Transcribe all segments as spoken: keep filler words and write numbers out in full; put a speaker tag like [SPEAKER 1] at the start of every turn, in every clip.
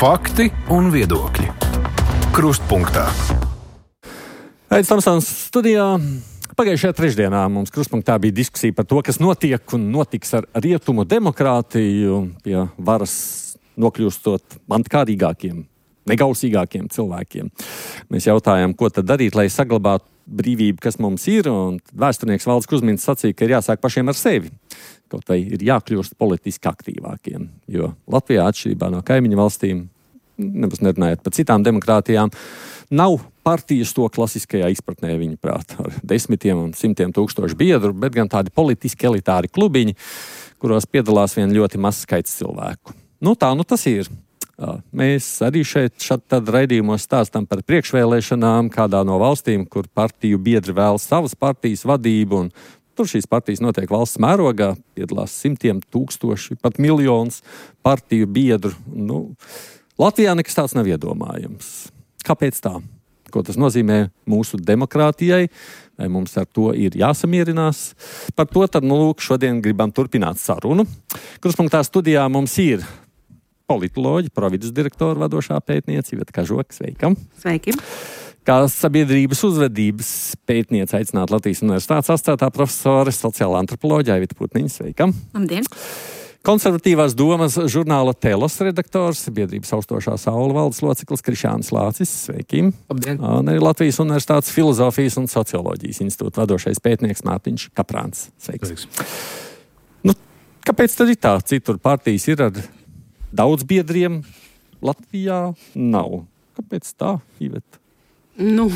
[SPEAKER 1] Fakti un viedokļi. Krustpunktā.
[SPEAKER 2] Aizs Tamsons studijā. Pagājušajā trešdienā mums krustpunktā bija diskusija par to, kas notiek un notiks ar rietumu demokrātiju, pie varas nokļūstot mantkārīgākiem, negausīgākiem cilvēkiem. Mēs jautājām, ko tad darīt, lai saglabātu brīvību, kas mums ir, un vēsturnieks Valds Kusmins sacīja, ka ir jāsāk pašiem ar sevi. Kaut vai ir jākļūst politiski aktīvākiem, jo Latvijā atšķirībā no kaimiņu valstīm, nebūs nerunājot par citām demokrātijām, nav partijas to klasiskajā izpratnē viņa prāt ar desmitiem un simtiem tūkstošu biedru, bet gan tādi politiski elitāri klubiņi, kuros piedalās vien ļoti mazs skaits cilvēku. Nu tā, nu tas ir. Mēs arī šeit šad tad raidījumos stāstam par priekšvēlēšanām kādā no valstīm, kur partiju biedri vēlas savas partijas vadību, un tur šīs partijas notiek valsts mērogā, piedalās simtiem tūkstoši, pat miljonus partiju biedru. Nu, Latvijā nekas tāds nav iedomājams. Kāpēc tā? Ko tas nozīmē mūsu demokrātijai? Vai mums ar to ir jāsamierinās? Par to tad, nu, lūk, šodien gribam turpināt sarunu. Krustpunktā studijā mums ir politoloģi, provides direktora vadošā pētniece Iveta Kažoka. Sveika!
[SPEAKER 3] Sveiki!
[SPEAKER 2] Kā sabiedrības uzvedības pētniece aicināt Latvijas Universitātes asociētā profesore, sociālā antropoloģija Aivita Putniņa. Sveika!
[SPEAKER 3] Labdien!
[SPEAKER 2] Konservatīvās domas žurnāla Telos redaktors, biedrības austošā saule valdes loceklis Krišānis Lācis. Sveiki!
[SPEAKER 4] Labdien!
[SPEAKER 2] Un arī Latvijas Universitātes filozofijas un socioloģijas institūta vadošais pētnieks Mārtiņš Kaprāns. Sveiks! Sveiks. Nu, kāpēc tad ir tā? Citur partijas ir ar daudz biedriem, Latvijā nav. Kāpēc tā, Iveta?
[SPEAKER 3] Nu,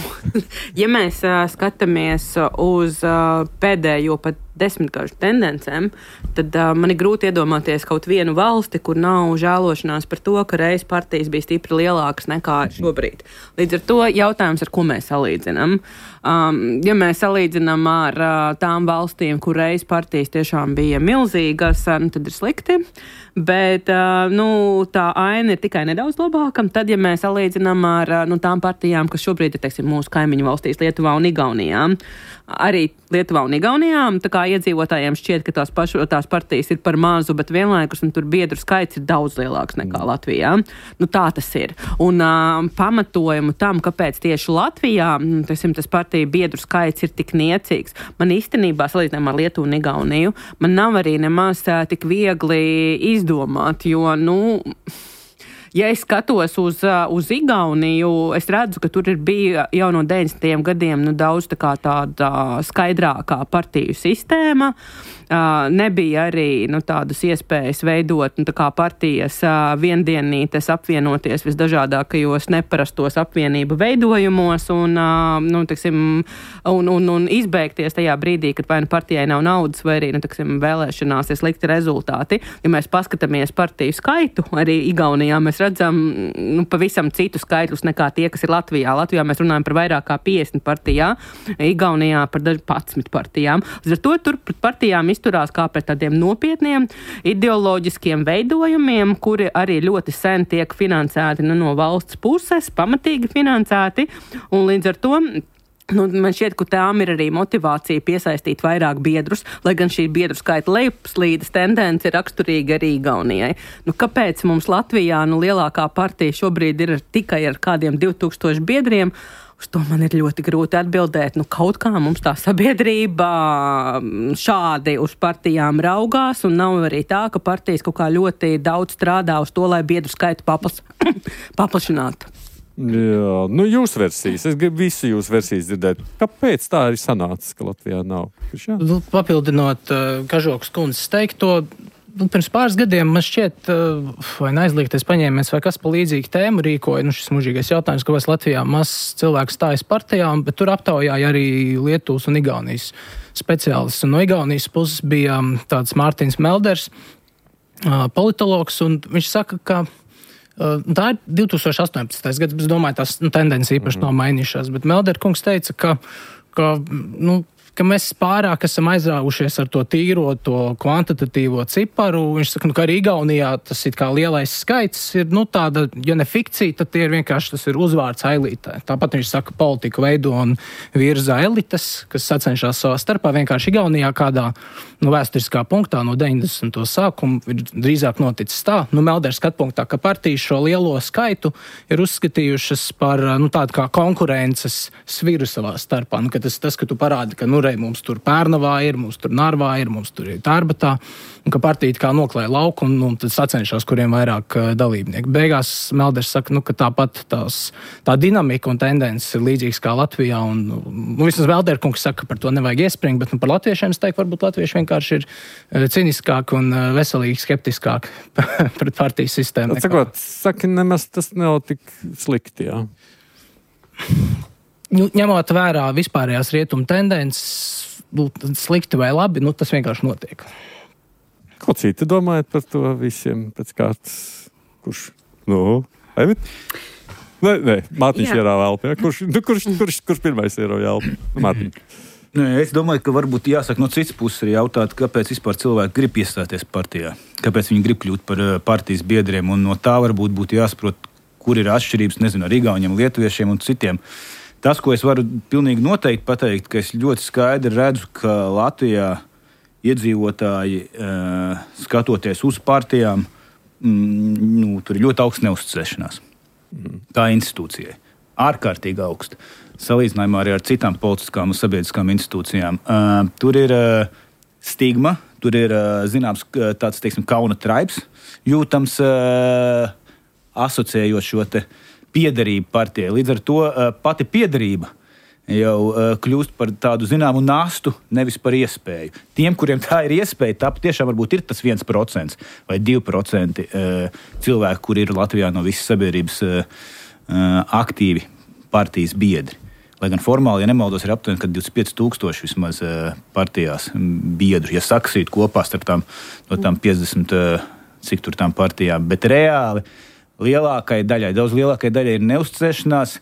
[SPEAKER 3] ja mēs uh, skatāmies uz uh, pēdējo pat desmitgažu tendencēm, tad uh, man ir grūti iedomāties kaut vienu valsti, kur nav žēlošanās par to, ka reiz partijas bija stipri lielākas nekā šobrīd. Līdz ar to jautājums, ar ko mēs salīdzinām. Um, ja mēs salīdzinām ar uh, tām valstīm, kur reiz partijas tiešām bija milzīgas, uh, tad ir slikti. Bet uh, nu, tā aina ir tikai nedaudz labāka. Tad, ja mēs salīdzinām ar uh, nu, tām partijām, kas šobrīd ir, teiksim, mūsu kaimiņu valstīs, Lietuvā un Igaunijā, arī Lietuvā un Igaunijā, tā kā iedzīvotājiem šķiet, ka tās, pašu, tās partijas ir par mazu, bet vienlaikus un tur biedru skaits ir daudz lielāks nekā Latvijā. Nu, tā tas ir. Un uh, pamatojumu tam, kāpēc tieši Latvijā teiksim, tas partiju biedru skaits ir tik niecīgs, man īstenībā salīdzinājumā ar Lietuvu un Igauniju, man nav arī nemaz uh, tik viegli izdomāt, jo, nu... Ja es skatos uz, uz Igauniju, es redzu, ka tur ir bija jau no deviņdesmitajiem gadiem nu, daudz tā kā tāda skaidrākā partiju sistēma. Uh, nebija arī nu, tādas iespējas veidot nu, tā kā partijas uh, viendienītes apvienoties visdažādākajos neparastos apvienību veidojumos un, uh, nu, tiksim, un, un, un izbeigties tajā brīdī, kad vai nu partijai nav naudas vai arī nu, tiksim, vēlēšanās ir slikti rezultāti. Ja mēs paskatāmies partiju skaitu, arī Igaunijā mēs redzam nu, pavisam citu skaitļus nekā tie, kas ir Latvijā. Latvijā mēs runājam par vairāk kā piecdesmit partijā, Igaunijā par padsmit partijām. Līdz ar to tur pret partijām izturās kā pret tādiem nopietniem ideoloģiskiem veidojumiem, kuri arī ļoti sen tiek finansēti nu, no valsts puses, pamatīgi finansēti, un līdz ar to nu, man šķiet, ka tām ir arī motivācija piesaistīt vairāk biedrus, lai gan šī biedru skaita lejupslīdes tendence ir raksturīga arī Igaunijai. Nu, kāpēc mums Latvijā nu, lielākā partija šobrīd ir tikai ar kādiem divi tūkstoši biedriem? Uz to man ir ļoti grūti atbildēt. Nu, kaut kā mums tā sabiedrība šādi uz partijām raugās, un nav arī tā, ka partijas kaut kā ļoti daudz strādā uz to, lai biedru skaitu paplas, paplašinātu.
[SPEAKER 2] Jā, nu jūsu versijas. Es gribu visu jūsu versijas dzirdēt. Kāpēc tā arī sanācis, ka Latvijā nav?
[SPEAKER 4] Nu, papildinot uh, Kažokas kundzes teikto, nu, pirms pāris gadiem man šķiet, uh, vai neaizliegties paņēmies, vai kas pa līdzīgu tēmu rīkoja, nu šis mužīgais jautājums, kāpēc Latvijā mazs cilvēks stājas partijām, bet tur aptaujāja arī Lietuvas un Igaunijas speciālists. Un no Igaunijas puses bija um, tāds Mārtiņš Melders, uh, politologs, un viņš saka, ka uh, tā ir divi tūkstoši astoņpadsmitais gads, bet es domāju, tās nu, tendences īpaši nav mainījušās, bet Melder kungs teica, ka, ka nu, ka mēs pārāk esam aizrāvušies ar to tīro, to kvantitatīvo ciparu. Viņš saka, nu, ka arī Igaunijā tas ir kā lielais skaits, ir, nu, tāda, ja ne fikcija, tad tie ir vienkārši, tas ir uzvārds elitē. Tāpat viņš saka, politika veido un virza elites, kas sacenšās savā starpā. Vienkārši Igaunijā kādā, nu, vēsturiskā punktā no deviņdesmito sākuma ir drīzāk noticis tā, nu, Meldera skatpunktā, ka partijas šo lielo skaitu ir uzskatījušas par, nu, tādu kā konkurences sviru savā starpā. Nu, ka tas, tas, ka tu parādi, ka, nu, rei, mums tur Pērnavā ir, mums tur Narvā ir, mums tur ir Tārbatā, un ka partija kā noklāja lauku un, un tad sacenšās, kuriem vairāk uh, dalībnieki. Beigās Melders saka, nu, ka tāpat tās, tā dinamika un tendences ir līdzīgas kā Latvijā, un, nu, vismaz Melderkungs saka, ka par to nevajag iespringt, bet, nu, par latviešiem es teiktu, varbūt latvieši vienkārši ir uh, ciniskāk un uh, veselīgi skeptiskāk pret partijas sistēmu.
[SPEAKER 2] Sakot, saki, nemaz tas nav tik slikti, jā.
[SPEAKER 4] Nu, ņemot vērā vispārējās rietumu tendences, nu, slikti vai labi, nu, tas vienkārši notiek.
[SPEAKER 2] Ko citi domājat par to visiem pēc kārtas? Kurš? Nu, Evit? Nē, nē, Mārtiņš ierāva elpu, ja? Kurš, nu, kurš, kurš, kurš pirmais ierāva elpu? Mārtiņ.
[SPEAKER 5] Nē, es domāju, ka varbūt jāsaka no citas puses arī jautāt, kāpēc vispār cilvēki grib iestāties partijā. Kāpēc viņi grib kļūt par partijas biedriem, un no tā varbūt būtu jāsaprot, kur ir atšķirības, nezinu, ar igauņiem, lietuviešiem un citiem. Tas, ko es varu pilnīgi noteikti pateikt, ka es ļoti skaidri redzu, ka Latvijā iedzīvotāji, uh, skatoties uz partijām, mm, nu, tur ir ļoti augsts neuzticēšanās. Mm. Kā institūcijai. Ārkārtīgi augsta. Salīdzinājumā arī ar citām politiskām un sabiedriskām institūcijām. Uh, tur ir uh, stigma, tur ir uh, zināms tāds, teiksim, kauna traips jūtams, uh, asociējot šo te piederību partijai. Līdz ar to uh, pati piederība jau uh, kļūst par tādu zināmu nastu, nevis par iespēju. Tiem, kuriem tā ir iespēja, tā patiešām varbūt ir tas viens procents vai divi procenti uh, cilvēku, kuri ir Latvijā no visas sabiedrības uh, uh, aktīvi partijas biedri. Lai gan formāli, ja nemaldos, ir aptuveni, ka divdesmit pieci tūkstoši vismaz uh, partijās biedru, ja saksīt kopā starp tām, no tām piecdesmit, uh, cik tur tām partijām, bet reāli lielākai daļai, daudz lielākai daļai ir neuzticēšanās,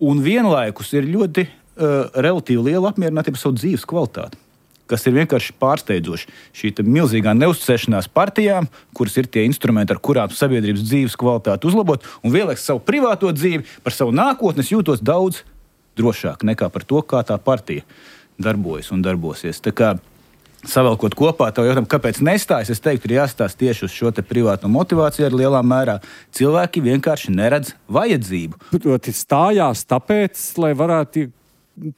[SPEAKER 5] un vienlaikus ir ļoti uh, relatīvi liela apmierinātība savu dzīves kvalitāti, kas ir vienkārši pārsteidzoši. Šī milzīgā neuzticēšanās partijām, kuras ir tie instrumenti, ar kurām sabiedrības dzīves kvalitāti uzlabot, un vienlaikus savu privāto dzīvi, par savu nākotnes jūtos daudz drošāk nekā par to, kā tā partija darbojas un darbosies. Tā kā savelkot kopā, tev jautājumu, kāpēc nestājas, es teiktu, ir jāstāsta tieši uz šo te privātu motivāciju ar lielā mērā. Cilvēki vienkārši neredz vajadzību.
[SPEAKER 2] Proti stājās tāpēc, lai varētu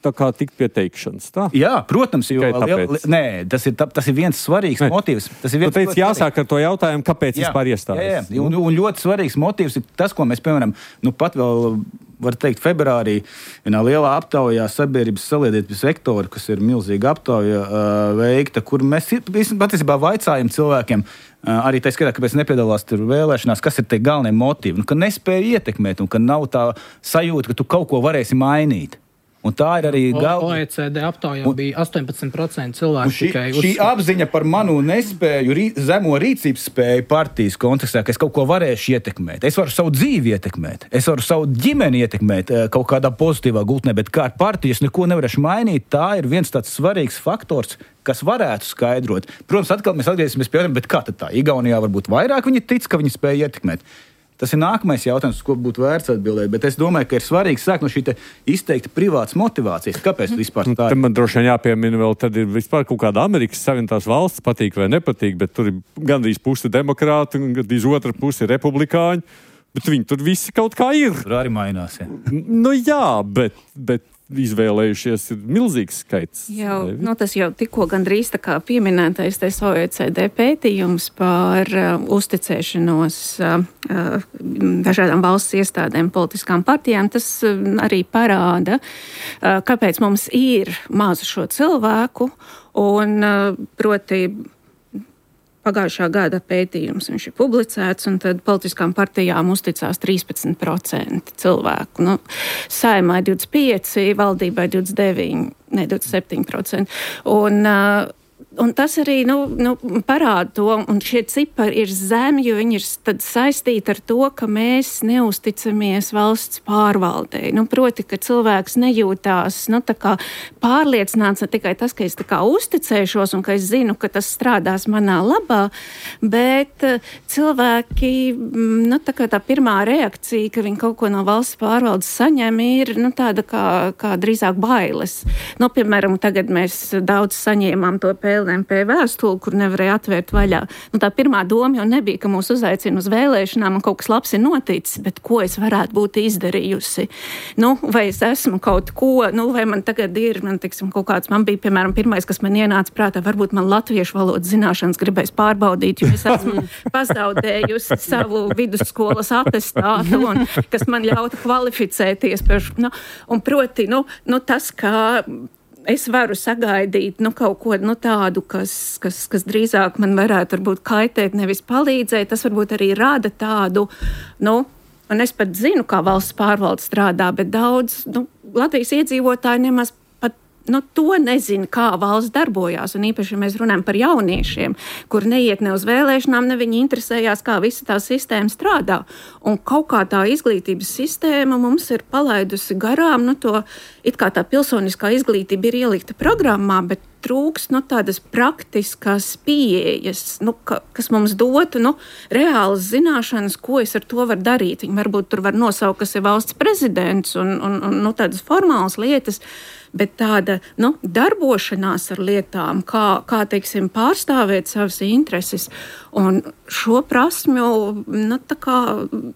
[SPEAKER 2] tā kā tikt pie teikšanas, tā?
[SPEAKER 5] Jā, protams, jo liel, nē, tas ir, tas ir viens svarīgs nē. motīvs. Tas ir viens
[SPEAKER 2] tu teici, jāsāk ar to jautājumu, kāpēc jā, vispār iestājas.
[SPEAKER 5] Jā, jā. Un, un ļoti svarīgs motīvs ir tas, ko mēs, piemēram, nu pat vēl var teikt, februārī vienā lielā aptaujā sabiedrības saliedētības sektora, kas ir milzīga aptauja uh, veikta, kur mēs patiesībā vaicājam cilvēkiem, uh, arī tā skatā, kāpēc nepiedalās tur vēlēšanās, kas ir tie galvenie motīvi, nu, ka nespēja ietekmēt un ka nav tā sajūta, ka tu kaut ko varēsi mainīt. Un tā ir arī galva.
[SPEAKER 4] O E C D aptaujā bija astoņpadsmit procenti cilvēku
[SPEAKER 5] šī,
[SPEAKER 4] tikai
[SPEAKER 5] šī
[SPEAKER 4] uzskata.
[SPEAKER 5] apziņa par manu nespēju, rī, zemo rīcības spēju partijas kontekstā, ka es kaut ko varēšu ietekmēt. Es varu savu dzīvi ietekmēt, es varu savu ģimeni ietekmēt kaut kādā pozitīvā gultnē, bet kā ar partiju es neko nevarēšu mainīt, tā ir viens tāds svarīgs faktors, kas varētu skaidrot. Protams, atkal mēs atgriezīsimies pie jautājuma, bet kā tad tā? Igaunijā varbūt vairāk viņi tic, ka viņi spēja ietekmēt. Tas ir nākamais jautājums, ko būtu vērts atbildēt, bet es domāju, ka ir svarīgi sākt no šī izteikti privātas motivācijas. Kāpēc vispār tā ir?
[SPEAKER 2] Man droši vien jāpiemina vēl, tad ir vispār kaut kāda Amerikas Savienotās valsts, patīk vai nepatīk, bet tur ir gandrīz pusi demokrāti un gandrīz otra pusi republikāņi, bet viņi tur visi kaut kā ir.
[SPEAKER 5] Tur arī mainās, ja.
[SPEAKER 2] Nu jā, bet, bet izvēlējušies ir milzīgs skaits.
[SPEAKER 6] Jau, nu, tas jau tikko gandrīz tā kā pieminētais tais O E C D pētījums par uh, uzticēšanos uh, uh, dažādām valsts iestādēm, politiskām partijām, tas uh, arī parāda, uh, kāpēc mums ir maz šo cilvēku, un uh, proti pagājušā gada pētījums viņš ir publicēts, un tad politiskām partijām uzticās trīspadsmit procenti cilvēku. Nu, Saeimai divdesmit pieci, valdībai divdesmit deviņi, ne, divdesmit septiņi procenti. Un uh, un tas arī nu, nu, parāda to, un šie cipari ir zemi, jo viņi ir tad saistīti ar to, ka mēs neusticamies valsts pārvaldei. Nu, proti, ka cilvēks nejūtās nu, tā kā pārliecināts ne tikai tas, ka es tā kā uzticēšos un ka es zinu, ka tas strādās manā labā, bet cilvēki, nu, tā kā tā pirmā reakcija, ka viņi kaut ko no valsts pārvaldes saņem, ir nu, tāda kā, kā drīzāk bailes. Nu, piemēram, tagad mēs daudz saņēmām to P L M P vēstuli, kur nevarēja atvērt vaļā. Nu, tā pirmā doma jau nebija, ka mūs uzaicina uz vēlēšanām un kaut kas labs ir noticis, bet ko es varētu būt izdarījusi. Nu, vai es esmu kaut ko, nu, vai man tagad ir, man, tiksim, kaut kāds, man bija, piemēram, pirmais, kas man ienāca prātā, varbūt man latviešu valodas zināšanas gribēs pārbaudīt, jo es esmu pazaudējusi savu vidusskolas atestātu, un kas man ļautu kvalificēties. Par, nu, un proti, nu, nu tas, kā es varu sagaidīt nu, kaut ko nu, tādu, kas, kas, kas drīzāk man varētu varbūt kaitēt, nevis palīdzēt. Tas varbūt arī rada tādu, nu, un es pat zinu, kā valsts pārvalde strādā, bet daudz nu, Latvijas iedzīvotāji nemaz pat nu, to nezina, kā valsts darbojās. Un īpaši, ja mēs runājam par jauniešiem, kur neiet ne uz vēlēšanām, ne viņi interesējās, kā visa tā sistēma strādā. Un kaut kā tā izglītības sistēma mums ir palaidusi garām, nu to it kā tā pilsoniskā izglītība ir ielikta programmā, bet trūks nu, tādas praktiskas pieejas, nu, ka, kas mums dotu nu, reālas zināšanas, ko es ar to varu darīt. Viņi varbūt tur var nosaukt, kas ir valsts prezidents un, un, un nu, tādas formālas lietas, bet tāda nu, darbošanās ar lietām, kā, kā teiksim, pārstāvēt savas intereses. Un šo prasmju nu, tā kā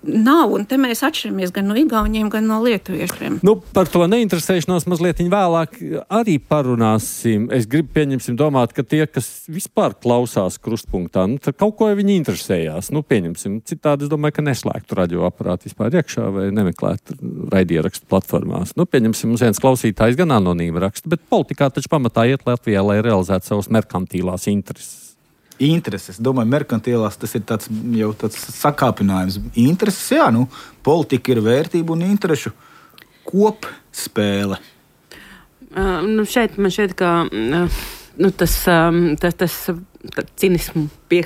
[SPEAKER 6] nav, un te mēs atšķiramies gan no igauņiem, gan no lietuviešiem.
[SPEAKER 2] Nu, par to neinteresēšanos mazliet vēlāk arī parunāsim. Es gribu pieņemsim domāt, ka tie, kas vispār klausās krustpunktā, nu, tad kaut ko viņi interesējās. Nu, pieņemsim. Citādi es domāju, ka neslēgtu radioaparātu vispār iekšā vai nemeklētu raidierakstu platformās. Nu, pieņemsim, mums viens klausītājs gan anonīmi raksta, bet politikā taču pamatā iet Latvijā, lai realizētu savas merkantīlās intereses.
[SPEAKER 5] Intereses. Domāju, merkantilās tas ir tāds, jau tāds sakāpinājums. Intereses, jā, nu, politika ir vērtība un interešu kopspēle.
[SPEAKER 3] Uh, nu šeit man šeit, ka uh, nu, tas, um, tas, tas cinismu pie,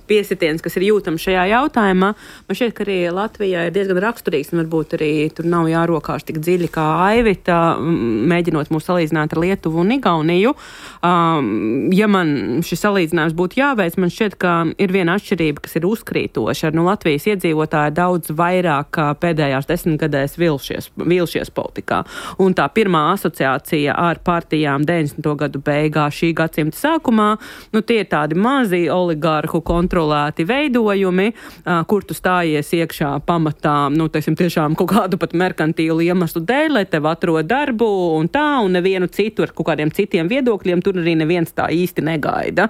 [SPEAKER 3] piesitiens, kas ir jūtams šajā jautājumā. Man šķiet, ka arī Latvijā ir diezgan raksturīgs, un varbūt arī tur nav jārokās tik dziļi kā Aivita, mēģinot mūs salīdzināt ar Lietuvu un Igauniju. Um, ja man šis salīdzinājums būtu jāveic, man šķiet, ka ir viena atšķirība, kas ir uzkrītoša. Nu, Latvijas iedzīvotāji daudz vairāk pēdējās desmitgadēs vilšies, vilšies politikā. Un tā pirmā asociācija ar partijām deviņdesmito gadu beigās šī gadsimta sākumā, nu tie ir tādi mazi oligarhu kontrolēti veidojumi, kur tu stājies iekšā pamatā, nu, teiksim, tiešām kaut kādu pat merkantīlu iemeslu dēļ, lai tev atrod darbu un tā, un nevienu citu ar kaut kādiem citiem viedokļiem, tur arī neviens tā īsti negaida.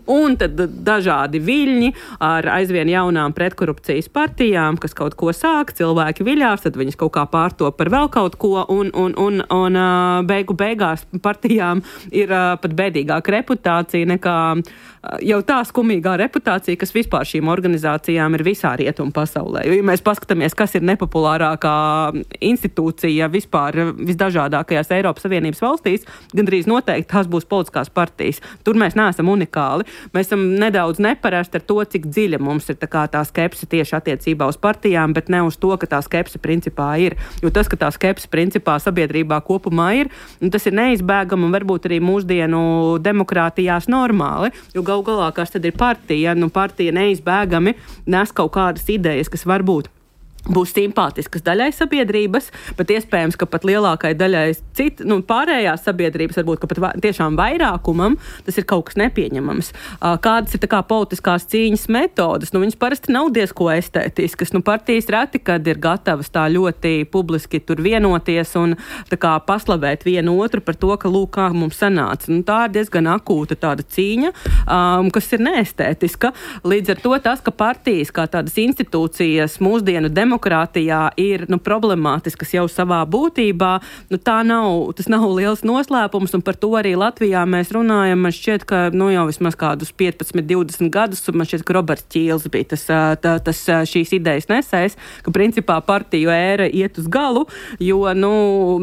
[SPEAKER 3] Un tad dažādi viļņi ar aizvien jaunām pretkorupcijas partijām, kas kaut ko sāk, cilvēki viļās, tad viņas kaut kā pārtop par vēl kaut ko, un, un, un, un beigu beigās partijām ir pat bēdīgāka reputācija nekā jau tā skumīgā reputācija, kas vispār šīm organizācijām ir visā rietumu pasaulē. Jo, ja mēs paskatāmies, kas ir nepopulārākā institūcija vispār visdažādākajās Eiropas Savienības valstīs, gandrīz noteikti tās būs politiskās partijas. Tur mēs neesam unikāli. Mēs esam nedaudz neparasti ar to, cik dziļa mums ir tā, kā tā skepse tieši attiecībā uz partijām, bet ne uz to, ka tā skepse principā ir. Jo tas, ka tā skepse principā sabiedrībā kopumā ir, tas ir neizbēgami un varbūt arī mūsdienu demokrātijās normāli. Jo gal galā, kas tad ir partija, nu partija neizbēgami nes kaut kādas idejas, kas varbūt būs simpātiskas daļai sabiedrības, bet iespējams, ka pat lielākai daļai cit, nu, pārējās sabiedrības, varbūt, ka pat va, tiešām vairākumam tas ir kaut kas nepieņemams. Kādas ir tā kā politiskās cīņas metodas? Nu, viņas parasti nav diezko estētiskas. Nu, partijas reti, kad ir gatavas tā ļoti publiski tur vienoties un tā kā paslavēt vienu otru par to, ka lūk, kā mums sanāca. Nu, tā ir diezgan akūta tāda cīņa, um, kas ir neestētiska. Līdz ar to tas, ka partijas kā tādas institūcijas mūsdienu demokrātijas demokrātijā ir nu, problemātiskas jau savā būtībā, nu, tā nav, tas nav liels noslēpums, un par to arī Latvijā mēs runājam. Man šķiet, ka nu, jau vismaz kādus piecpadsmit, divdesmit gadus, man šķiet, ka Roberts Ķīls bija tas, tā, tas šīs idejas nesējs, ka principā partiju ēra iet uz galu, jo nu,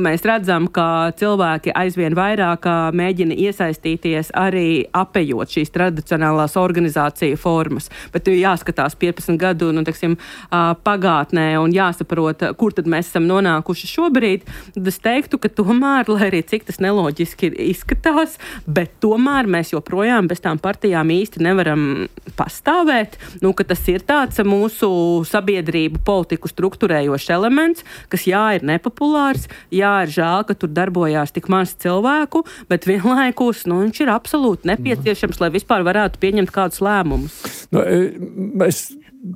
[SPEAKER 3] mēs redzam, ka cilvēki aizvien vairāk mēģina iesaistīties arī apējot šīs tradicionālās organizāciju formas. Bet jāskatās piecpadsmit gadu nu, teksim, pagātnē un jāsaprot, kur tad mēs esam nonākuši šobrīd. Tad es teiktu, ka tomēr, lai arī cik tas neloģiski izskatās, bet tomēr mēs joprojām bez tām partijām īsti nevaram pastāvēt. Nu, ka tas ir tāds mūsu sabiedrību politiku strukturējošs elements, kas jā, ir nepopulārs, jā, ir žēl, ka tur darbojās tik maz cilvēku, bet vienlaikus nu, viņš ir absolūti nepieciešams, lai vispār varētu pieņemt kādus lēmumus.
[SPEAKER 2] Nu, es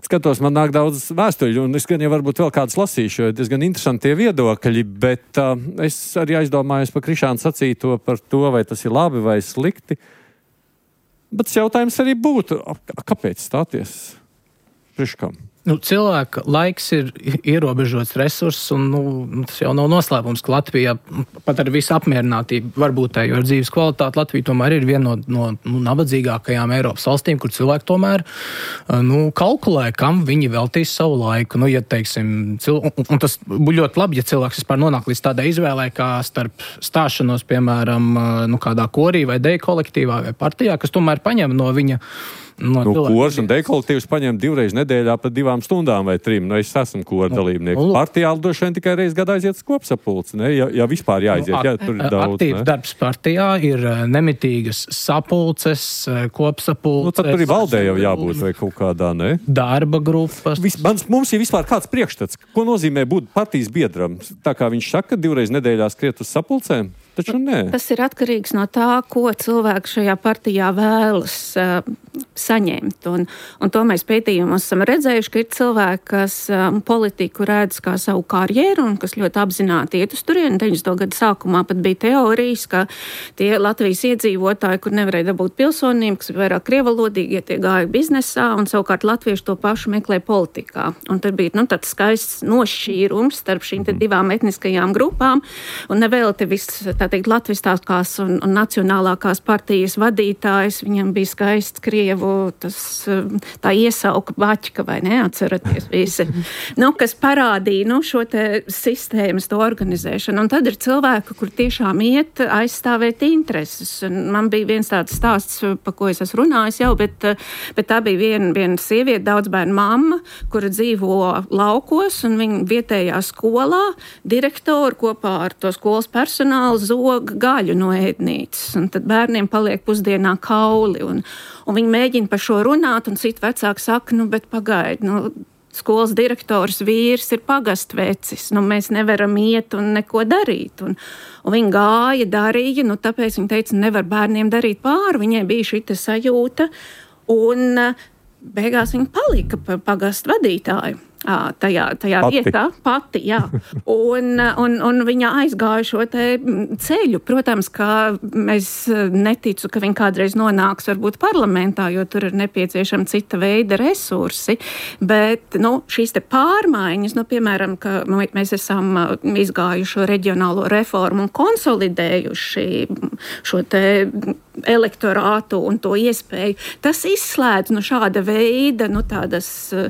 [SPEAKER 2] skatos, man nāk daudz vēstuļu, un es gan jau varbūt vēl kāds lasīšu, jo diezgan interesanti tie viedokļi, bet uh, es arī aizdomājos par Krišānu sacīto par to, vai tas ir labi vai slikti. Bet jautājums arī būtu, kāpēc stāties? Priekš kam?
[SPEAKER 4] Nu, cilvēka laiks ir ierobežots resurss, un nu, tas jau nav noslēpums, ka Latvijā pat ar visu apmierinātību varbūt tā, jo ar dzīves kvalitāti Latvija tomēr ir viena no, no nu, nabadzīgākajām Eiropas valstīm, kur cilvēki tomēr nu, kalkulē, kam viņi veltīs savu laiku. Nu, ja, teiksim, cil... un, un tas būtu ļoti labi, ja cilvēks vispār nonāk līdz tādai izvēlē, kā starp stāšanos, piemēram, nu, kādā korī vai deju kolektīvā vai partijā, kas tomēr paņem no viņa No,
[SPEAKER 2] nu, kors un dekolektīvs paņem divreiz nedēļā pa divām stundām vai trim. Nu, es esmu kora dalībnieks. Nu, partijā droši vien tikai reiz gadā aiziet uz kopsapulci, ne? Ja, ja vispār jāaiziet. Nu, at, ja, tur ir daudz,
[SPEAKER 4] aktīvs ne? Darbs partijā ir nemitīgas sapulces, kopsapulces.
[SPEAKER 2] Nu, tad tur ir valdē jau jābūt vai kaut kādā, ne?
[SPEAKER 4] Darba grupas.
[SPEAKER 2] Vis, mans, mums ir vispār kāds priekšstats. Ko nozīmē būt partijas biedram? Tā kā viņš saka, divreiz nedēļā skriet uz sapulcēm? Taču nē.
[SPEAKER 6] Tas ir atkarīgs no tā, ko cilvēki šajā partijā vēlas uh, saņemt. Un, un to mēs pētījumos esam redzējuši, ka ir cilvēki, kas um, politiku redz kā savu karjeru un kas ļoti apzināti iet uz turieni. deviņdesmito gadu sākumā pat bija teorijas, ka tie Latvijas iedzīvotāji, kur nevarēja dabūt pilsonību, kas ir vairāk krievalodīgi, tie gāja biznesā, un savukārt latvieši to pašu meklē politikā. Un tad bija nu, tāds skaists nošķīrums starp šīm te divām etniskajām grupām, un nevēl te viss tā teikt, latviskās un, un nacionālākās partijas vadītājs, viņam bija skaists Krievu, tas tā iesauka baķka, vai neatceraties visi, nu, kas parādīja, nu, šo te sistēmas, to organizēšanu. Un tad ir cilvēki, kur tiešām iet aizstāvēt intereses. Un man bija viens tāds stāsts, pa ko es esmu runājis jau, bet, bet tā bija viena, viena sieviete, daudzbērnu mamma, kura dzīvo laukos, un viņa vietējā skolā direktori kopā ar to skolas personālu zoga gaļu no ēdnīcas, un tad bērniem paliek pusdienā kauli, un, un viņi mēģina par šo runāt, un citi vecāki saka, nu, bet pagaidi, nu, skolas direktors vīrs ir pagastvecis, nu, mēs nevaram iet un neko darīt, un, un viņi gāja, darīja, nu, tāpēc viņi teica, nevar bērniem darīt pāri, viņai bija šita sajūta, un beigās viņa palika par pagastu vadītāju. Tajā, tajā
[SPEAKER 2] pati.
[SPEAKER 6] vietā, pati, jā. Un, un, un viņa aizgāja šo te ceļu. Protams, ka es neticu, ka viņa kādreiz nonāks varbūt parlamentā, jo tur ir nepieciešama cita veida resursi, bet, nu, šīs te pārmaiņas, nu, piemēram, ka mēs esam izgājuši reģionālo reformu un konsolidējuši šo te elektorātu un to iespēju, tas izslēdz no šāda veida, nu, tādas uh,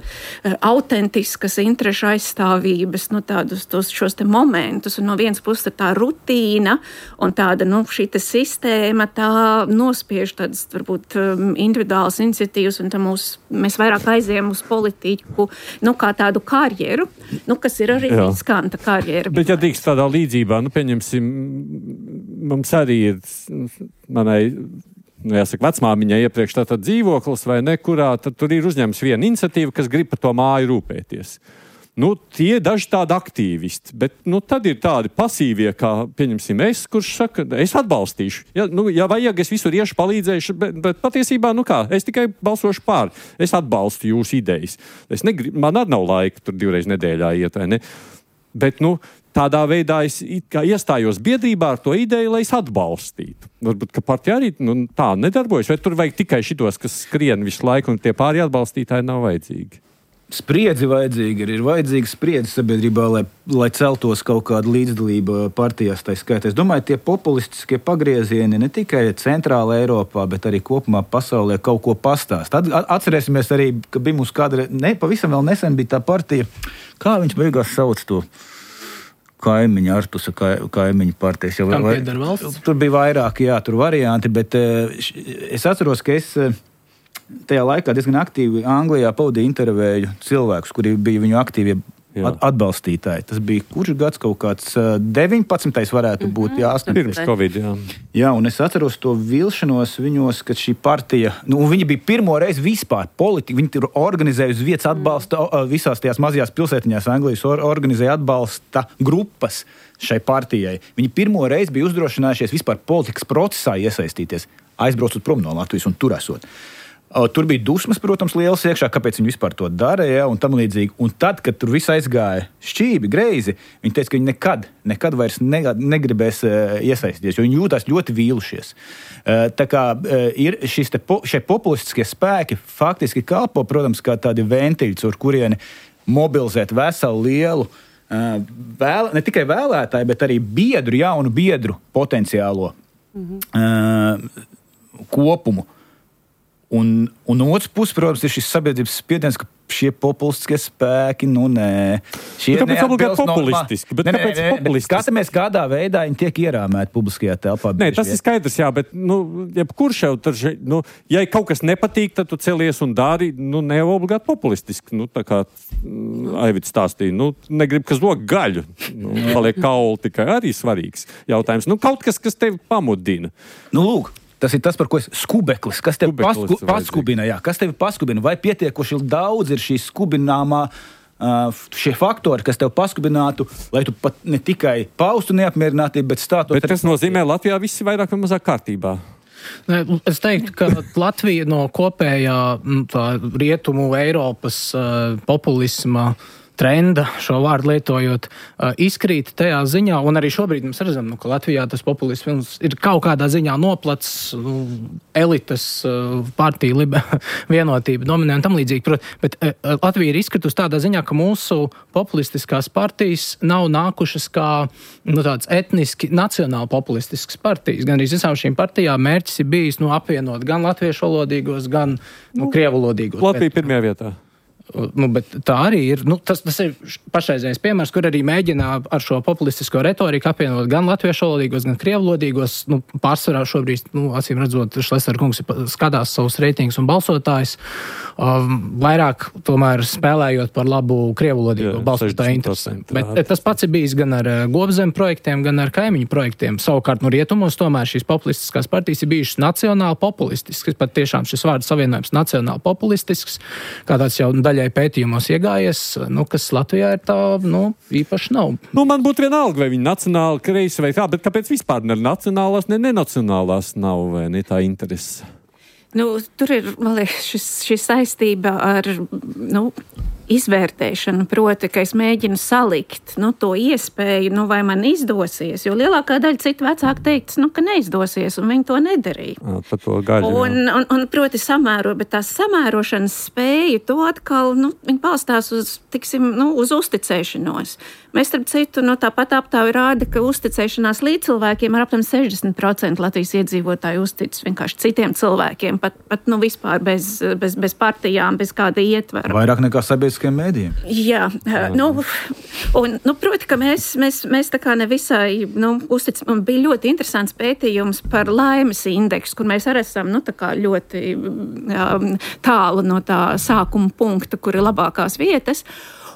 [SPEAKER 6] autentiskas interešu aizstāvības, nu, tādus tos, šos te momentus, un no vienas puses tā rutīna un tāda, nu, šī te sistēma, tā nospiež tādas, varbūt, um, individuālas iniciatīvas, un tā mūs, mēs vairāk aizējam uz politiku, nu, kā tādu karjeru, nu, kas ir arī riskanta karjera.
[SPEAKER 2] Bet, ja tiks tādā līdzībā, nu, pieņemsim, mums arī ir, manai, nu, jāsaka, vecmāmiņai iepriekš tātad dzīvoklis vai nekurā, tad tur ir uzņemts viena iniciatīva, kas grib par to māju rūpēties. Nu, tie daži tādi aktīvisti, bet, nu, tad ir tādi pasīvie, kā, pieņemsim, es, kurš saka, es atbalstīšu. Ja, nu, ja vajag, es visur iešu, palīdzēšu, bet, bet patiesībā, nu kā, es tikai balsošu pār. Es atbalstu jūsu idejas. Es negrib, man arī nav laika tur divreiz nedēļā iet, vai ne? Bet, nu, tādā veidā es iestājos biedrībā ar to ideju, lai es atbalstītu. Varbūt, ka partija arī nu, tā nedarbojas, vai tur vajag tikai šitos, kas skrien visu laiku, un tie pārējie atbalstītāji nav vajadzīgi.
[SPEAKER 5] Spriedzi vajadzīga, ir vajadzīga spriedzi sabiedrībā, lai, lai celtos kaut kāda līdzdalība partijās, tā skaitā. Es domāju, tie populistiskie pagriezieni ne tikai centrāla Eiropā, bet arī kopumā pasaulē kaut ko pastāst. Atcerēsimies arī, ka bija mums kāda, ne, pavisam vēl nesen bija tā partija, kā viņš beigās sauc to kaimiņa, Artusa kaimiņa partijas.
[SPEAKER 4] Kam pieder valsts?
[SPEAKER 5] Tur bija vairāk, jā, tur varianti, bet es atceros, ka es tajā laikā diezgan aktīvi Anglijā pavadīja intervēju cilvēkus, kuri bija viņu aktīvie atbalstītāji. Tas bija kurš gads kaut kāds deviņpadsmitais varētu būt, jā,
[SPEAKER 2] pirms Covid, jā.
[SPEAKER 5] Jā, un es atceros to vilšanos viņos, ka šī partija, nu, viņi bija pirmo reizi vispār politika, viņi tur organizēja uz vietas atbalsta, visās tajās mazajās pilsētiņās Anglijas organizēja atbalsta grupas šai partijai. Viņi pirmo reizi bija uzdrošinājušies vispār politikas procesā iesaistīties, aizbraucot prom no Latvijas un tur esot. Tur bija dusmas, protams, lielas iekšā, kāpēc viņi vispār to dara, ja, un tam līdzīgi. Un tad, kad tur viss aizgāja šķībi, greizi, viņi teica, ka viņi nekad, nekad vairs ne, negribēs uh, iesaistīties, jo viņi jūtās ļoti vīlušies. Uh, tā kā uh, ir šis te po, šie populistiskie spēki faktiski kalpo, protams, kā tādi ventiļi, ar kurieni mobilizēt veselu lielu, uh, vēl, ne tikai vēlētāju, bet arī biedru, jaunu biedru potenciālo uh, kopumu. Un, un no otras puses, protams, ir šis sabiedrības spiediens, ka šie populistiskie spēki, nu nē. Šie
[SPEAKER 2] kāpēc obligāti populistiski? Bet
[SPEAKER 5] nē,
[SPEAKER 2] kāpēc
[SPEAKER 5] nē, nē,
[SPEAKER 2] populistiski?
[SPEAKER 5] Skatāmies, kādā veidā viņi tiek ierāmēti publiskajā telpā.
[SPEAKER 2] Nē, tas ir skaidrs, jā, bet, nu, jebkurš jau, tad, nu, ja kaut kas nepatīk, tad tu celies un dari, nu, ne obligāti populistiski. Nu, tā kā Aivits stāstīja, nu, negrib, ka zog gaļu. Nu, paliek kauli tikai arī svarīgs jautājums. Nu, kaut kas, kas tevi pamudina.
[SPEAKER 5] Nu, lūk. Tas ir tas, par ko es skubeklis, kas tevi pasku, paskubina, jā, kas tevi paskubina, vai pietiekoši daudz ir šī skubināmā, uh, šie faktori, kas tevi paskubinātu, lai tu pat ne tikai paustu neapmierinātību, bet stātos...
[SPEAKER 2] Bet tas nozīmē, Latvijā viss ir vairāk vai mazāk kārtībā.
[SPEAKER 4] Es teiktu, ka Latvija no kopējā tā, rietumu Eiropas uh, populisma trenda, šo vārdu lietojot, izkrīt tajā ziņā, un arī šobrīd mēs redzam, nu, ka Latvijā tas populisms ir kaut kādā ziņā noplats, nu, elites partija, libe, vienotība, dominē un tam līdzīgi. Bet Latvija ir izkritusi tādā ziņā, ka mūsu populistiskās partijas nav nākušas kā nu, tāds etniski nacionāli populistisks partijas. Gan arī visām šīm partijām mērķis ir bijis nu, apvienot gan latviešu valodīgos, gan nu, krievu valodīgos.
[SPEAKER 2] Latvija pirmajā vietā.
[SPEAKER 4] Nu, bet tā arī ir, nu, tas, tas ir pašreizējais piemērs, kur arī mēģina ar šo populistisko retoriku apvienot gan latviešu valodīgos, gan krievu valodīgos. Nu, pārsvarā šobrīd, nu, acīm redzot, Šlesner kungs skatās savus reitingus un balsotājus, um, vairāk tomēr spēlējot par labu krievu valodīgo balsotāju interesēm. Bet tas pats ir bijis gan ar Gobzem projektiem, gan ar kaimiņu projektiem. Savukārt, nu, rietumos tomēr šīs populistiskās partijas ir bijušas nacionāli populistiskas, pat tiešām šis vārds savienojums nacionāli populistisks, kā tāds jau daļai pētījumos iegājies, nu, kas Latvijā ir tā, nu, īpaši nav.
[SPEAKER 2] Nu, man būtu vienalga, vai viņi nacionāli, kreisi vai kā, bet kāpēc vispār ne nacionālās, ne nenacionālās nav, vai ne tā interese?
[SPEAKER 6] Nu, tur ir, man liekas, šis, šis saistība ar, nu, izvērtēšanu, proti, ka es mēģinu salikt nu, to iespēju, nu, vai man izdosies, jo lielākā daļa citu vecāku teiks, nu, ka neizdosies, un viņi to nedarīja.
[SPEAKER 2] À, par to gaļu,
[SPEAKER 6] un, un, un, proti, samēro, bet tās samērošanas spēja, to atkal, nu, viņi balstās uz, tiksim, nu, uz uzticēšanos. Mēs, starp citu, no tāpat aptāvi rāda, ka uzticēšanās līdz cilvēkiem ir apmēram sešdesmit procenti Latvijas iedzīvotāju uzticas vienkārši citiem cilvēkiem, pat, pat nu, vispār bez, bez, bez partijām, bez kāda ietvera.
[SPEAKER 5] Vairāk nekā sabiedriskajiem mēdījiem.
[SPEAKER 6] Jā, nu, un, nu, proti, ka mēs, mēs, mēs tā kā nevisai, nu, uzticam, un bija ļoti interesants pētījums par laimes indeksu, kur mēs arī esam, nu, tā kā ļoti jā, tālu no tā sākuma punkta, kur ir labākās vietas.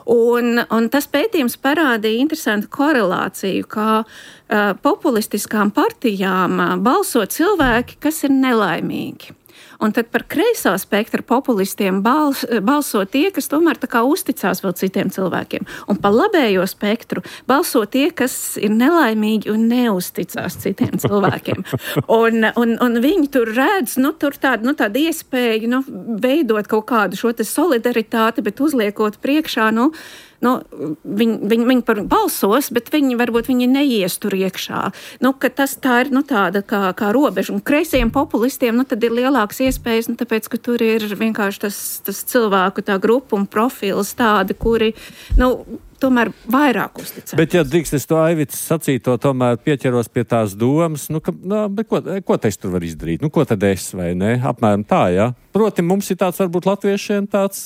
[SPEAKER 6] Un, un tas pētījums parādīja interesantu korelāciju, kā uh, populistiskām partijām uh, balso cilvēki, kas ir nelaimīgi. Un tad par kreisā spektra populistiem bals, balso tie, kas tomēr tā kā uzticās vēl citiem cilvēkiem. Un par labējo spektru balso tie, kas ir nelaimīgi un neuzticās citiem cilvēkiem. Un, un, un viņi tur redz, nu, tur tādu, nu, tādu iespēju, nu, veidot kaut kādu šo te solidaritāti, bet uzliekot priekšā, nu, nu, viņi, viņi, viņi par balsos, bet viņi varbūt viņi neies tur iekšā. Nu, ka tas tā ir nu, tāda kā, kā robeža. Un kreisiem populistiem nu, tad ir lielāks iespējas, nu, tāpēc, ka tur ir vienkārši tas, tas cilvēku tā grupa un profils tādi, kuri, nu, tomēr vairāk uzticams.
[SPEAKER 2] Bet, ja drīkst es to Aivits sacīto, tomēr pieķeros pie tās domas, nu, ka, nu, bet ko, ko te es tur var izdarīt? Nu, ko tad es, vai ne? Apmēram tā, jā. Proti, mums ir tāds, varbūt latviešiem tāds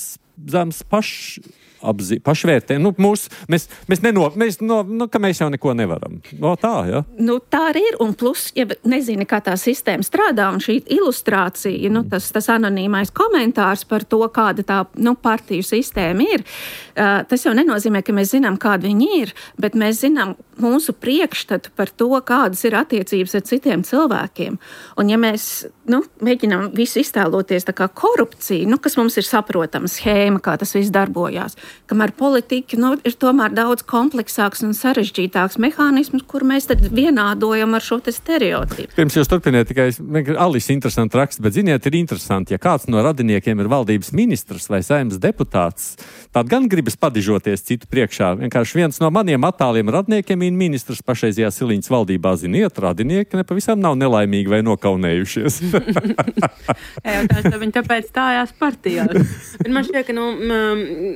[SPEAKER 2] zems pašs. Apzi, pašvērtē. Nu, mūs, mēs, mēs, neno, mēs, no, nu, ka mēs jau neko nevaram. No, tā, ja?
[SPEAKER 6] Nu, tā arī ir. Un plus, ja nezini, kā tā sistēma strādā, un šī ilustrācija, nu, tas, tas anonīmais komentārs par to, kāda tā nu, partiju sistēma ir, uh, tas jau nenozīmē, ka mēs zinām, kāda viņi ir, bet mēs zinām mūsu priekšstatu par to, kādas ir attiecības ar citiem cilvēkiem. Un ja mēs nu, mēģinām visu iztēloties tā kā korupciju, nu, kas mums ir saprotama schēma, kā tas viss darbojās, kamēr politika nu, ir tomēr daudz kompleksāks un sarežģītāks mehānisms, kur mēs tad vienādojam ar šo te stereotipu.
[SPEAKER 2] Pirms jūs turpiniet, tikai Alis interesanti raksts, bet ziniet, ir interesanti, ja kāds no radiniekiem ir valdības ministrs vai saimnes deputāts, tad gan gribas padižoties citu priekšā. Vienkārši viens no maniem attāliem radniekiem ir ministrs pašreizajā Siliņas valdībā. Ziniet, radinieki nepavisam nav nelaimīgi vai nokaunējušies.
[SPEAKER 3] Jā, tā, viņi tāpēc stājās partijās. Bet man šķiet, ka nu,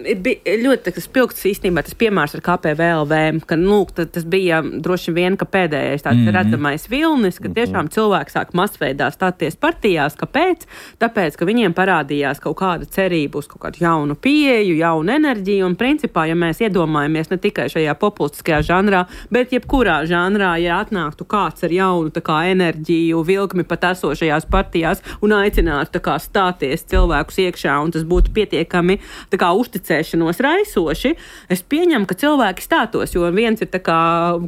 [SPEAKER 3] ir bija ļoti tas pilgts īstenībā tas piemērs ar K P V L V, ka nu, tas bija droši vien, ka pēdējais tāds mm-hmm. redzamais vilnis, ka tiešām cilvēki sāk masveidā stāties partijās. Kāpēc? Tāpēc, ka viņiem parādījās kaut kāda cerība uz kaut kādu jaunu pieeju, jaunu enerģiju, un principā, ja mēs iedomājamies ne tikai šajā populistiskajā žanrā, bet jebkurā žanrā, ja atnāktu kāds ar jaunu tā kā enerģiju, vilkmi pat esošajās partijās un aicinātu tā kā stāties cilvēkus iekšā, un tas būtu pietiekami tā kā uzticēšanos raisoši, es pieņemu, ka cilvēki stātos, jo viens ir tā kā,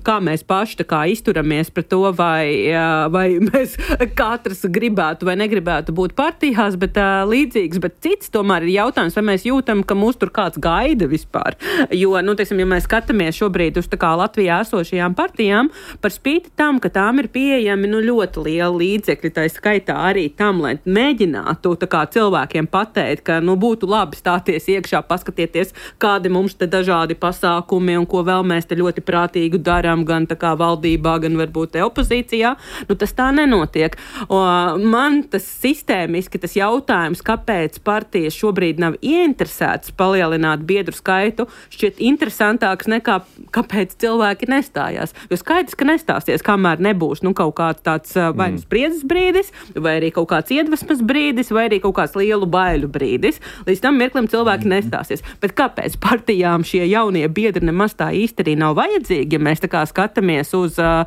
[SPEAKER 3] kā mēs paši tā kā izturamies pret to, vai, vai mēs katrs gribētu vai negribētu būt partijās, bet uh, līdzīgs, bet cits tomēr ir jautājums, vai mēs jūtam, ka mūs tur kāds gaida vispār. Jo, nu, teiksim, ja mēs skatāmies šobrīd uz tā kā Latvijā esošajām partijām, par spīti tam, ka tām ir pieejami nu, ļoti lieli līdzekļi, tā skaitā arī tam, lai mēģinātu tā kā cilvēkiem pateikt, ka nu, būtu labi stāties iekšā, paskatieties, kādi mums te dažādi pasākumi un ko vēl mēs te ļoti prātīgu darām, gan tā kā valdībā, gan varbūt te opozīcijā. Nu, tas tā nenotiek. O, man tas sistēmiski, tas jautājums, kāpēc partijas šobrīd nav ieinteresētas palielināt biedru skaitu, šķiet interesantāks nekā kāpēc cilvēki nestājās. Jo skaidrs, ka nestāsies, kamēr nebūs nu, kaut kāds tāds vai nu spriedzes brīdis, vai arī kaut kāds iedvesmas brīdis, vai arī kaut kāds lielu baiļu brīdis. Līdz tam mirklim cilvēki nestāsies. Bet kāpēc partijām šie jaunie biedri nemaz tā īsti arī nav vajadzīgi, ja mēs tā kā skatāmies uz uh,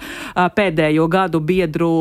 [SPEAKER 3] pēdējo gadu biedru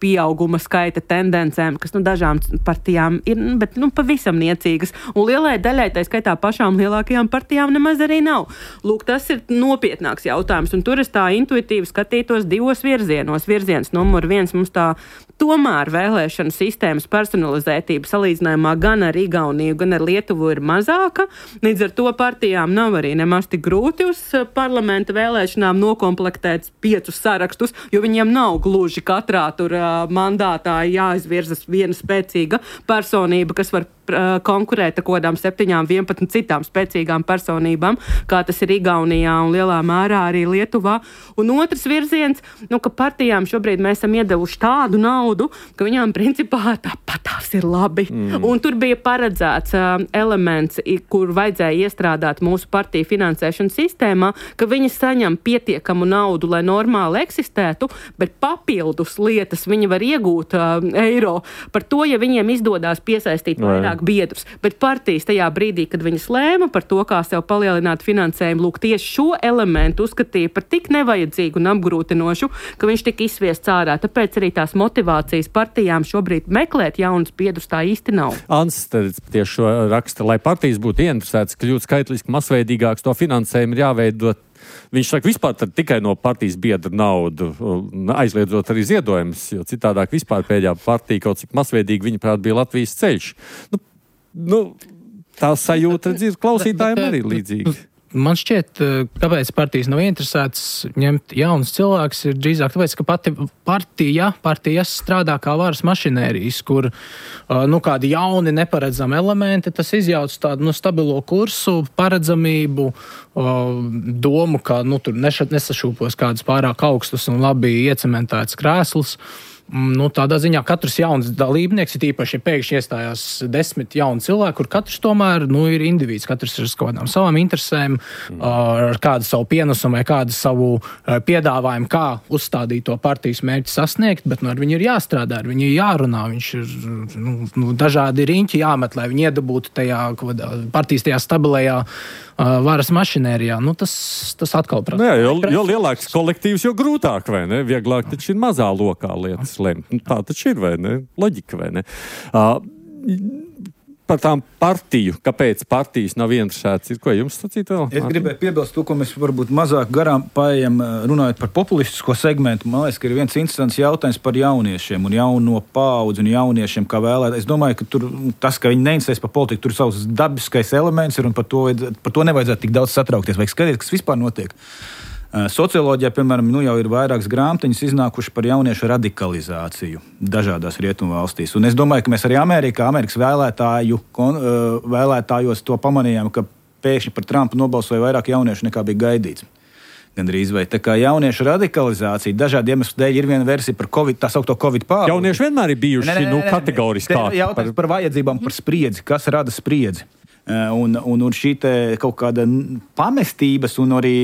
[SPEAKER 3] pieauguma skaita tendencēm, kas nu, dažām partijām ir, bet nu, pavisam niecīgas. Un lielai daļai, tā skaitā pašām lielākajām partijām nemaz arī nav. Lūk, tas ir nopietnāks jautājums, un tur es tā intuitīvi skatītos divos virzienos. Virziens numur viens mums tā tomēr vēlēšanu sistēmas personalizētība salīdzinājumā gan ar Igauniju, gan ar Lietuvu ir mazāka. Līdz ar to partijām nav arī nemaz tik grūti uz parlamenta vēlēšanām nokomplektēt piecus sarakstus, jo viņiem nav gluži katrā tur uh, mandātā jāizvirzas viena spēcīga personība, kas var uh, konkurēt ar kodām septiņām, vienpadsmit citām spēcīgām personībām, kā tas ir Igaunijā un lielā mērā arī Lietuvā. Un otrs virziens, nu, ka partijām šobrīd mēs esam iedevuši tādu naudu, ka viņām principā tāpat tās ir labi. Mm. Un tur bija paredzēts uh, elements, kur vajadzēja iestrādāt mūsu partiju finansēšanas sistēmā, ka viņi saņem pietiekamu naudu, lai normāli eksistētu, bet papildus lietas viņi var iegūt uh, eiro par to, ja viņiem izdodās piesaistīt Vai. vairāk biedrus. Bet partijas tajā brīdī, kad viņas lēma par to, kā sev palielināt finansējumu, lūk, tieši šo elementu uzskatīja par tik nevajadzīgu un apgrūtinošu, ka viņš tika izsviests ārā. Tāpēc arī tās motivācijas partijām šobrīd meklēt jaunus biedrus tā īsti nav.
[SPEAKER 2] Ants tieši šo raksta, lai partijas būtu ieinteresētas kļūt skaitliski masveidīgāks, to finansējumu ir jāveidot. Viņš saka, vispār tikai no partijas biedra naudu, aizliedzot arī ziedojumus, jo citādāk vispār pēdējā partija kaut cik masveidīgi, viņa prāt, bija Latvijas ceļš. Nu, nu, tā sajūta, redz, klausītājiem arī līdzīga.
[SPEAKER 4] man šķiet, kāpēc partijas nav interesētas ņemt jaunus cilvēkus, ir drīzāk tāpēc, ka pati partija, partijas strādā kā varas mašinērijas, kur nu, kādi jauni neparedzami elementi, tas izjauc tādu nu, stabilo kursu, paredzamību, domu, ka nu, tur nesašūpos kādus pārāk augstus un labi iecementēts krēslus. Nu, tādā ziņā katrs jauns dalībnieks, ir īpaši, ja pēkšņi iestājās desmit jauni cilvēki, kur katrs tomēr nu, ir individs, katrs ir ar kādām savām interesēm, mm. ar kādu savu pienesumu vai kādu savu piedāvājumu, kā uzstādīt to partijas mērķi sasniegt, bet nu, ar viņu ir jāstrādā, ar viņu ir jārunā, viņš ir nu, nu, dažādi riņķi jāmet, lai viņi iedabūtu tajā partijas tajā stabilajā varas mašinērijā. Nu, tas, tas atkal prasa.
[SPEAKER 2] Nu jā, jo, jo lielāks kolektīvs, jo grūtāk, vai ne? Vieglāk taču ir mazā lokā lietas lemt. Nu, tā taču ir, vai ne? Loģika, vai ne? Uh, par tām partiju, kāpēc partijas nav interesētas, ir ko jums sacīt vēl?
[SPEAKER 5] Es gribēju piebilst to, ko mēs varbūt mazāk garām paejam, runājot par populistisko segmentu. Man liekas, ka ir viens interesants jautājums par jauniešiem un jauno paudzi un jauniešiem kā vēlēt. Es domāju, ka tur tas, ka viņi neinteresēs par politiku, tur savs dabiskais elements ir un par to, par to nevajadzētu tik daudz satraukties. Vajag skatīt, kas vispār notiek. Socioloģijā, piemēram, nu jau ir vairākas grāmatiņas iznākuši par jauniešu radikalizāciju dažādās rietumu valstīs. Un es domāju, ka mēs arī Amerikā, Amerikas vēlētāju, vēlētājos to pamanījām, ka pēkšņi par Trumpu nobalsoja vairāk jauniešu nekā bija gaidīts. Gandrīz vai. Tā kā jauniešu radikalizācija dažādi iemesli dēļ ir viena versija par COVID, tā saukto COVID pāri.
[SPEAKER 2] Jaunieši vienmēr ir bijuši, ne, ne, ne, nu, kategoriskā.
[SPEAKER 5] Jautājums par... par vajadzībām, par spriedzi, kas rada spriedzi. Un, un, un šī te kaut kāda pamestības un arī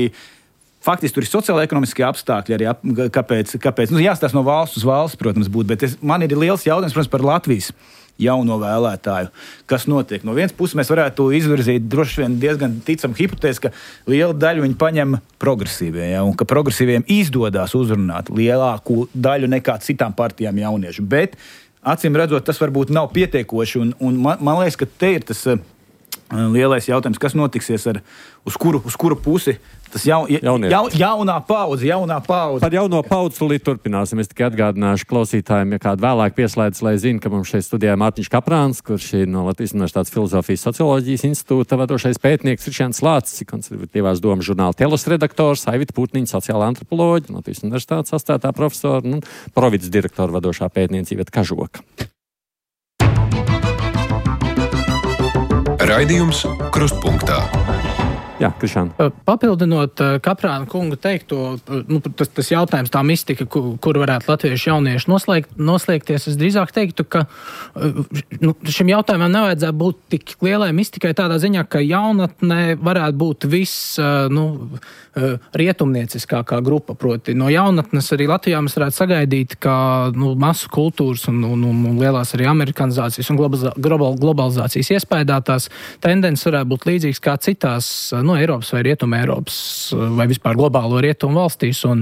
[SPEAKER 5] faktiski tur ir sociāla-ekonomiskie apstākļi arī, ap, kāpēc, kāpēc. Nu, jāstāsta no valsts uz valsts, protams, būt, bet es, man ir liels jautājums, protams, par Latvijas jauno vēlētāju. Kas notiek? No vienas puses mēs varētu izvirzīt droši vien diezgan ticam hipotēzi, ka liela daļa viņi paņem progresīvie, ja, un ka progresīviem izdodās uzrunāt lielāku daļu nekā citām partijām jauniešu. Bet, acīm redzot, tas varbūt nav pietiekoši, un, un man, man liekas, ka te ir tas uh, lielais jautājums, kas notiksies ar uz kuru, uz kuru pusi tas jau, ja, ja, jaunā paudze, jaunā paudze.
[SPEAKER 2] Par jauno paudzi tūlīt turpināsim. Es tikai atgādināšu klausītājiem, ja kādu vēlāk pieslēdz, lai zina, ka mums šeit studijā Mārtiņš Kaprāns, kurš ir no Latvijas Universitātes Filozofijas socioloģijas institūta vadošais pētnieks, Ričjāns Lācis, konservatīvās domas žurnāla Telos redaktors, Aivita Putniņa, sociālā antropoloģija, Latvijas Universitātes asociētā profesora un Provides direktora vadošā pētniece Iveta Kažoka.
[SPEAKER 1] Raidījums Krustpunktā.
[SPEAKER 2] Jā, Krišān.
[SPEAKER 4] Papildinot Kaprāna kunga teikto, nu, tas, tas jautājums, tā mistika, kur, kur varētu latviešu jaunieši noslēgt, noslēgties, es drīzāk teiktu, ka nu, šim jautājumam nevajadzētu būt tik lielai mistikai tādā ziņā, ka jaunatnē varētu būt viss nu, rietumnieciskākā grupa. Proti, no jaunatnes arī Latvijā mēs varētu sagaidīt, ka nu, masu kultūras un, un, un, un lielās arī amerikanizācijas un global, globalizācijas iespējātās tendences varētu būt līdzīgas kā citās no Eiropas vai Rietuma Eiropas vai vispār globālo rietumu valstīs. Un,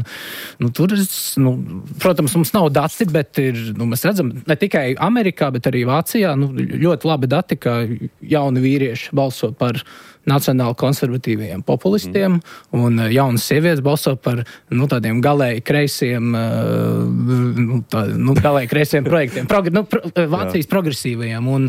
[SPEAKER 4] nu, tur, nu, protams, mums nav dati, bet ir, nu, mēs redzam ne tikai Amerikā, bet arī Vācijā nu, ļoti labi dati, ka jauni vīrieši balso par nacionāli konservatīviem populistiem, mm. un jaunas sievietes balso par nu, tādiem galēji kreisiem, nu, tā, nu, galēji kreisiem projektiem, Progr, nu, pro, Vācijas progresīvajiem. Un,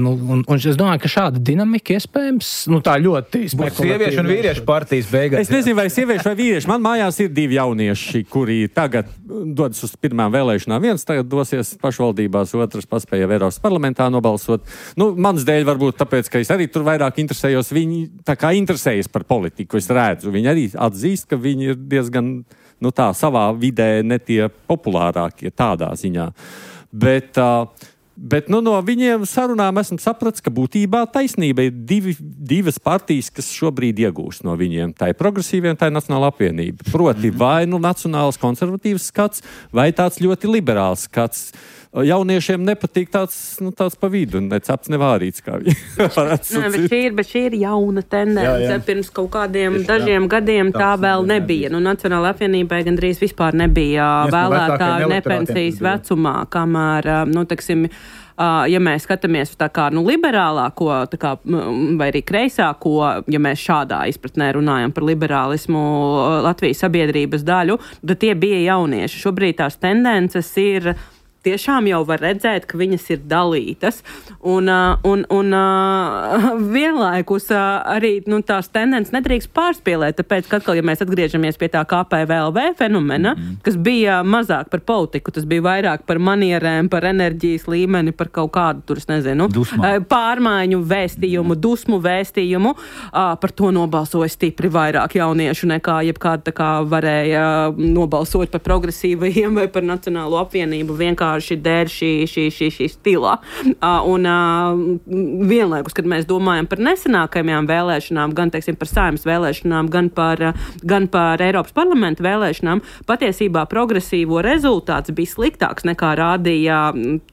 [SPEAKER 4] nu, un, un es domāju, ka šāda dinamika iespējams, nu tā ļoti spekulatīva.
[SPEAKER 5] Sieviešu un vīriešu partijas beigās.
[SPEAKER 2] Es nezinu, vai sieviešu vai vīrieši. Man mājās ir divi jaunieši, kuri tagad dodas uz pirmām vēlēšanām. Viens tagad dosies pašvaldībās, otrs paspēja Eiropas parlamentā nobalsot. Nu, mans dēļ varbūt tāpēc, ka es arī tur vairāk interesējos. Viņi tā kā interesējas par politiku, es redzu. Viņi arī atzīst, ka viņi ir diezgan, nu tā, savā vidē ne tie populārākie tādā ziņā. Bet, uh, bet nu, no viņiem sarunām esmu sapratis, ka būtībā taisnība ir divi, divas partijas, kas šobrīd iegūst no viņiem. Tā ir progresīvie un tā ir Nacionāla apvienība. Proti, vai nu nacionāls konservatīvs skats, vai tāds ļoti liberāls skats. Jauniešiem nepatīk tāds, nu, tāds pa vidu, ne cepts, ne vārīts, kā viņi varētu
[SPEAKER 3] sacīt. Bet šī ir, bet šī ir jauna tendence. Jā, jā. Pirms kaut kādiem Tieši, dažiem jā. gadiem tā, tā vēl nebija. Nu, Nacionāla apvienībai gandrīz vispār nebija Mēs vēlētāju nepensijas vecumā, kamēr, nu, teksim, ja mēs skatāmies tā kā nu, liberālāko tā kā, vai arī kreisāko, ja mēs šādā izpratnē runājam par liberālismu Latvijas sabiedrības daļu, tad tie bija jaunieši. Šobrīd tās tendences ir tiešām jau var redzēt, ka viņas ir dalītas. Un, un, un vienlaikus arī nu, tās tendences nedrīkst pārspīlēt, tāpēc, ka atkal, ja mēs atgriežamies pie tā K P V L V fenomena, mm-hmm. kas bija mazāk par politiku, tas bija vairāk par manierēm, par enerģijas līmeni, par kaut kādu, tur es nezinu, Dusmā. pārmaiņu vēstījumu, mm-hmm. dusmu vēstījumu, par to nobalsoja stipri vairāk jauniešu nekā jebkāda tā kā varēja nobalsot par progresīvajiem vai par Nacionālo apvienību vienkārši dēļ šī, šī, šī, šī stilā. Uh, un uh, vienlaikus, kad mēs domājam par nesenākajām vēlēšanām, gan, teiksim, par Saeimas vēlēšanām, gan par, uh, gan par Eiropas parlamenta vēlēšanām, patiesībā progresīvo rezultāts bija sliktāks nekā rādīja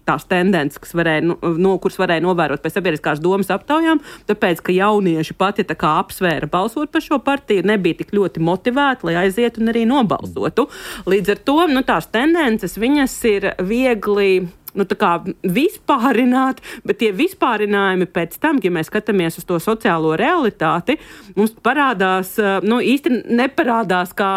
[SPEAKER 3] tās tendences, kas varēja, no, kuras varēja novērot pēc sabiedriskās domas aptaujām, tāpēc, ka jaunieši pati tā kā apsvēra balsot par šo partiju, nebija tik ļoti motivēti, lai aizietu un arī nobalsotu. Līdz ar to, nu, tās tendences, viņas ir viegli, nu, tā kā vispārināt, bet tie vispārinājumi pēc tam, ja mēs skatāmies uz to sociālo realitāti, mums parādās, nu, īsti neparādās kā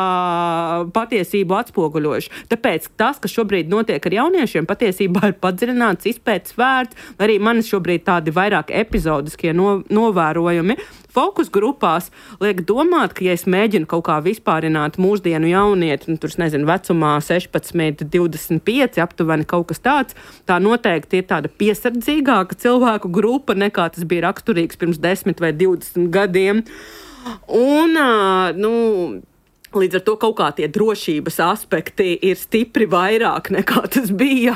[SPEAKER 3] patiesību atspoguļojuši. Tāpēc tas, kas šobrīd notiek ar jauniešiem, patiesībā ir padziļināts, izpētes vērts, arī man šobrīd tādi vairāk epizodiskie no, novērojumi. Fokus grupās liek domāt, ka, ja es mēģinu kaut kā vispārināt mūsdienu jaunieti, nu, tur, nezinu, vecumā sešpadsmit, divdesmit pieci, aptuveni kaut kas tāds, tā noteikti ir tāda piesardzīgāka cilvēku grupa, nekā tas bija raksturīgs pirms desmit vai divdesmit gadiem. Un, nu, līdz ar to kaut kā tie drošības aspekti ir stipri vairāk nekā tas bija,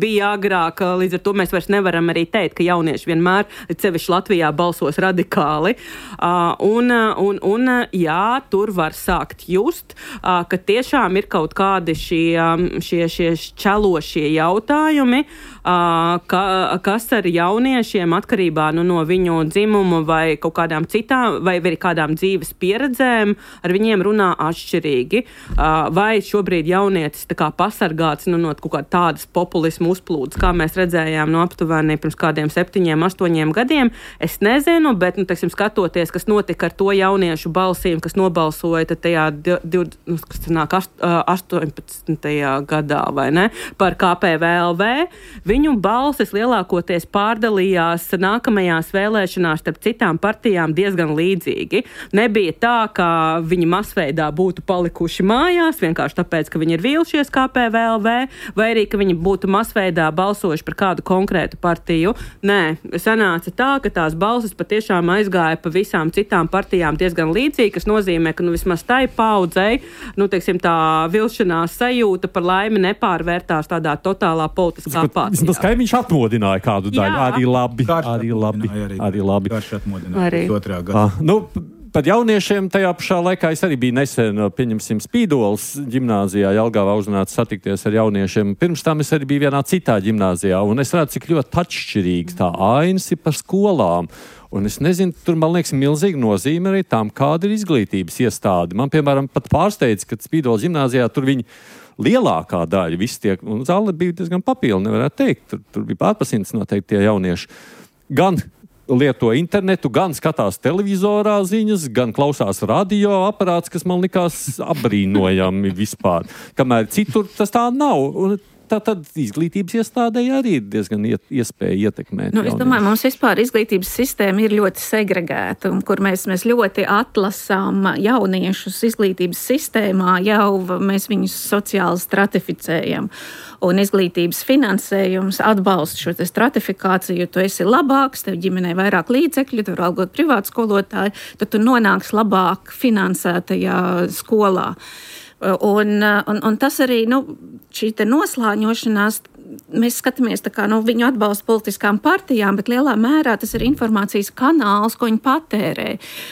[SPEAKER 3] bija agrāk. Līdz ar to mēs vairs nevaram arī teikt, ka jaunieši vienmēr, sevišķi Latvijā, balsos radikāli. Un, un, un jā, tur var sākt just, ka tiešām ir kaut kādi šie, šie, šie šķelošie jautājumi, ka, kas ar jauniešiem atkarībā nu, no viņu dzimuma vai kaut kādām citām, vai arī kādām dzīves pieredzēm, ar viņiem runā atšķirīgi. Vai šobrīd jaunietis tā kā pasargāts nu, no kaut kā tādas populismu uzplūdes, kā mēs redzējām no aptuveni pirms kādiem septiņiem, astoņiem gadiem, es nezinu, bet, nu, teiksim, skatoties, kas notika ar to jauniešu balsīm, kas nobalsoja tajā astoņpadsmitajā gadā, vai ne, par K P V L V, viņu balsis lielākoties pārdalījās nākamajās vēlēšanās starp citām partijām diezgan līdzīgi. Nebija tā, ka viņi masveidā būtu palikuši mājās, vienkārši tāpēc, ka viņi ir vīlušies K P V L V, vai arī, ka viņi būtu masveidā balsojuši par kādu konkrētu partiju. Nē, sanāca tā, ka tās balsis patiešām aizgāja pa visām citām partijām diezgan līdzīgi, kas nozīmē, ka nu, vismaz tai paudzei, nu, teiksim, tā vilšanās sajūta par laimi nepārvērtās tādā totālā politiskā apācijā.
[SPEAKER 2] Tas kaimiņš atmodināja kādu daļu,
[SPEAKER 3] Jā.
[SPEAKER 2] arī labi,
[SPEAKER 5] Karš
[SPEAKER 2] arī labi,
[SPEAKER 5] arī,
[SPEAKER 2] arī labi.
[SPEAKER 5] Karš atmodināja
[SPEAKER 3] Arī.
[SPEAKER 5] otrā gada.
[SPEAKER 2] Ah, nu, par jauniešiem tajā pašā laikā es arī biju nesen, pieņemsim, Spīdolas ģimnāzijā Jelgavā uzrunāts satikties ar jauniešiem. Pirms tam es arī biju vienā citā ģimnāzijā, un es redzu, cik ļoti atšķirīgs tā ainas ir par skolām. Un es nezinu, tur, man liekas, milzīga nozīme arī tām, kāda ir izglītības iestāde. Man, piemēram, pat pārsteidz, ka Spīdolas ģimnāzijā tur viņi lielākā daļa visi tiek, un zāle bija diezgan papilna, nevarētu teikt. Tur, tur bija pārpasimts noteikti tie jaunieši. Gan lieto internetu, gan skatās televizorā ziņas, gan klausās radio aparāts, kas man likās apbrīnojami vispār. Kamēr citur tas tā nav. Un tā tad izglītības iestādēji arī ir diezgan iet, iespēja ietekmēt.
[SPEAKER 6] Nu, es domāju, mums vispār izglītības sistēma ir ļoti segregēta, un kur mēs, mēs ļoti atlasām jauniešus izglītības sistēmā, jau mēs viņus sociāli stratificējam. Un izglītības finansējums atbalsta šo te stratifikāciju, jo tu esi labāks, tev ģimenei vairāk līdzekļu, tu var algot privātu skolotāju, tad tu nonāks labāk finansētajā skolā. Un, un, un tas arī, nu, šī te noslāņošanās, mēs skatāmies tā kā, nu, viņu atbalstu politiskām partijām, bet lielā mērā tas ir informācijas kanāls, ko viņi patērē.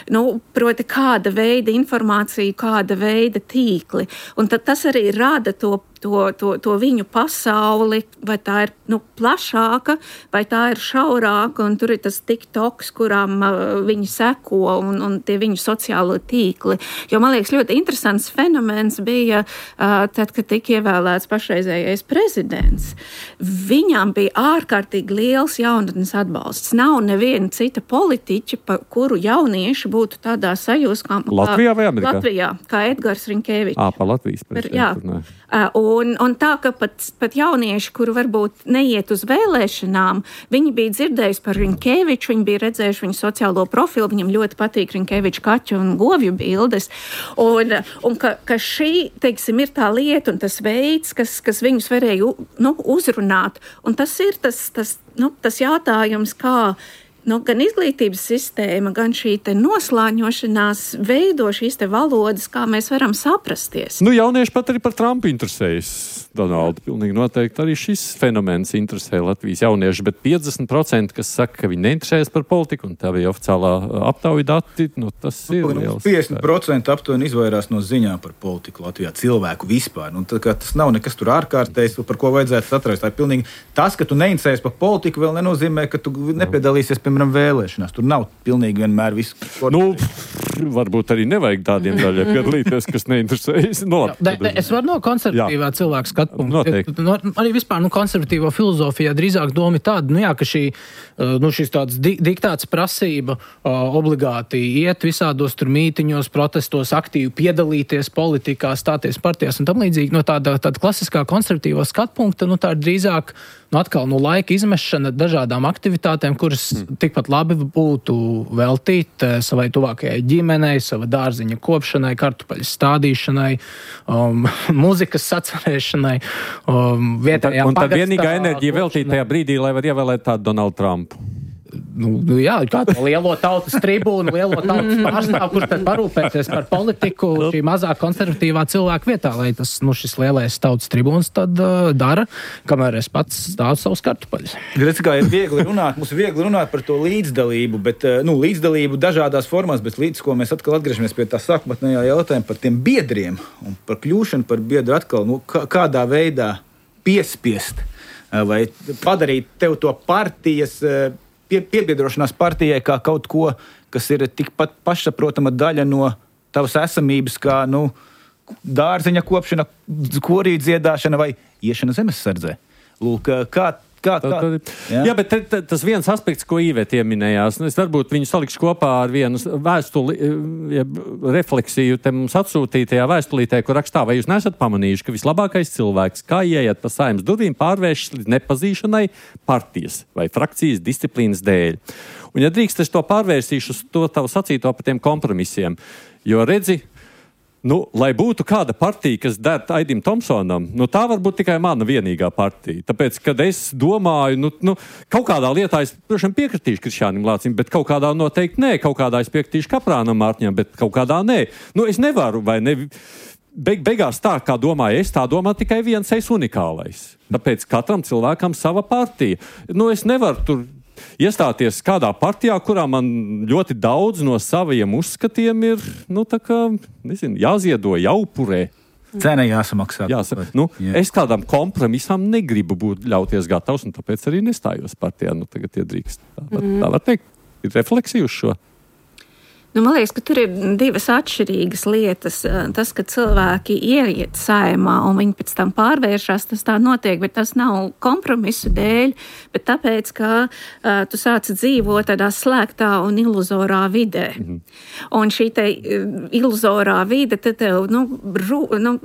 [SPEAKER 6] Nu, proti, kāda veida informācija, kāda veida tīkli. Un tad tas arī rada to To, to, to viņu pasauli, vai tā ir nu, plašāka, vai tā ir šaurāka, un tur ir tas TikToks, kurām uh, viņi seko, un, un tie viņu sociālo tīkli. Jo, man liekas, ļoti interesants fenomens bija uh, tad, kad tika ievēlēts pašreizējais prezidents. Viņam bija ārkārtīgi liels jaunatnes atbalsts. Nav neviena cita politiķa, pa kuru jaunieši būtu tādā sajūsmā.
[SPEAKER 2] Latvijā vai Amerikā?
[SPEAKER 6] Latvijā, kā Edgars Rinkēvičs.
[SPEAKER 2] Ā, pa Latvijas prezidentu.
[SPEAKER 6] Jā. Uh, Un, un tā, ka pat, pat jaunieši, kuri varbūt neiet uz vēlēšanām, viņi bija dzirdējuši par Riņkeviču, viņi bija redzējuši viņu sociālo profilu, viņam ļoti patīk Riņkeviča kaķu un govju bildes. Un, un ka, ka šī, teiksim, ir tā lieta un tas veids, kas, kas viņus varēja nu, uzrunāt. Un tas ir tas, tas, nu, tas jautājums, kā nu, gan izglītības sistēma, gan šī te noslāņošanās veido šīs te valodas, kā mēs varam saprasties.
[SPEAKER 2] Nu, jaunieši pat arī par Trumpu interesējas, Donaldu. Pilnīgi noteikti arī šis fenomens interesē Latvijas jaunieši, bet piecdesmit procenti, kas saka, ka viņi neinteresējas par politiku, un tā bija oficiālā aptauja dati, nu, tas ir liels.
[SPEAKER 5] piecdesmit procenti aptuveni izvairās no ziņām par politiku Latvijā, cilvēku vispār. Nu, tā, tas nav nekas tur ārkārtējs, par ko vajadzētu satrast. Tā ir pilnīgi tas, ka tu neinteresējies par politiku, vēl nenozīmē, ka tu nepiedalīsies, piemēram, vēlēšanās. Tur nav pilnīgi vienmēr viss.
[SPEAKER 2] Nu, varbūt arī nevajag tādiem daļai piedalīties, kas neinteresējas. No,
[SPEAKER 4] Jā, de, de, es varu no konservatīvā jā. cilvēka skatu punktu. No, arī vispār nu, konservatīvo filozofijā drīzāk doma ir tāda, nu jā, ka šī, nu, šis tāds di- diktāts prasība uh, obligāti iet visādos tur mītiņos, protestos, aktīvi piedalīties politikā, stāties partijās un tam līdzīgi. No tāda, tāda klasiskā konservatīvo skatu punkta, nu tā ir drīzāk nu, atkal no laika izmešana dažādām aktivitātēm, kuras mm. tikpat labi būtu veltīt savai tuvākajai ģimenei, sava dārziņa kopšanai, kartupeļu stādīšanai, um, mūzikas sacerēšanai, um, vietējām
[SPEAKER 2] un tad, un tad vienīgā enerģija veltīt tajā brīdī, lai var ievēlēt tādu Donaldu Trumpu.
[SPEAKER 4] Nu, nu jā, kā to lielo tautas tribūnu, lielo tautas pārstāvu, kurš tad parūpēties par politiku šī mazā konservatīvā cilvēka vietā, lai tas, nu, šis lielais tautas tribūns tad uh, dara, kamēr es pats stāvu savus kartupeļus.
[SPEAKER 5] Redz, kā ir viegli runāt, mums ir viegli runāt par to līdzdalību, bet, nu, līdzdalību dažādās formās, bet līdz ko mēs atkal atgriežamies pie tā sākotnējā jautājuma par tiem biedriem un par kļūšanu par biedru atkal, nu, kā, kādā veidā piespiest vai padarīt tev to partijas Pie, piebiedrošanās partijai kā kaut ko, kas ir tikpat pašsaprotama daļa no tavas esamības, kā nu, dārziņa kopšana, korī dziedāšana vai iešana zemessardzē. Lūk, kā, kā, kā.
[SPEAKER 2] Jā, jā bet t, t, tas viens aspekts, ko Īvete ieminējās, es varbūt viņu salikšu kopā ar vienu vēstuli, ja, refleksiju te mums atsūtītajā vēstulītē, kur rakstā, vai jūs nesat pamanījuši, ka vislabākais cilvēks, kā ieiet pa Saeimas durvīm, pārvēršas līdz nepazīšanai partijas vai frakcijas disciplīnas dēļ. Un ja drīkst, es to pārvērsīšu uz to tavu sacīto par tiem kompromisiem, jo redzi, nu, lai būtu kāda partija, kas der Aidim Tomsonam, nu, tā var būt tikai mana vienīgā partija. Tāpēc, kad es domāju, nu, nu kaut kādā lietā es, protams, piekritīšu Krišjānim Lācim, bet kaut kādā noteikti nē, kaut kādā es piekritīšu Kaprānam Mārtiņam, bet kaut kādā nē. Nu, es nevaru, vai ne, beig, beigās tā, kā domāju es, tā domā tikai viens es unikālais. Tāpēc katram cilvēkam sava partija. Nu, es nevaru tur iestāties kādā partijā, kurā man ļoti daudz no saviem uzskatiem ir, nu, tā kā, nezinu, jāziedo, jāupurē.
[SPEAKER 5] Cena jāsamaksā.
[SPEAKER 2] Jāsa, nu, yeah. Es kādam kompromisam negribu būt ļauties gatavs, un tāpēc arī nestājos partijā. Nu, tagad iedrīkst. Tā, var, mm. tā var teikt. Ir refleksija uz šo.
[SPEAKER 6] Nu, man liekas, ka tur ir divas atšķirīgas lietas. Tas, ka cilvēki ieiet Saeimā un viņi pēc tam pārvēršas, tas tā notiek, bet tas nav kompromisu dēļ, bet tāpēc, ka uh, tu sāci dzīvot tādā slēgtā un iluzorā vidē. Mm-hmm. Un šī te uh, iluzorā vide, te tev, nu, ru, nu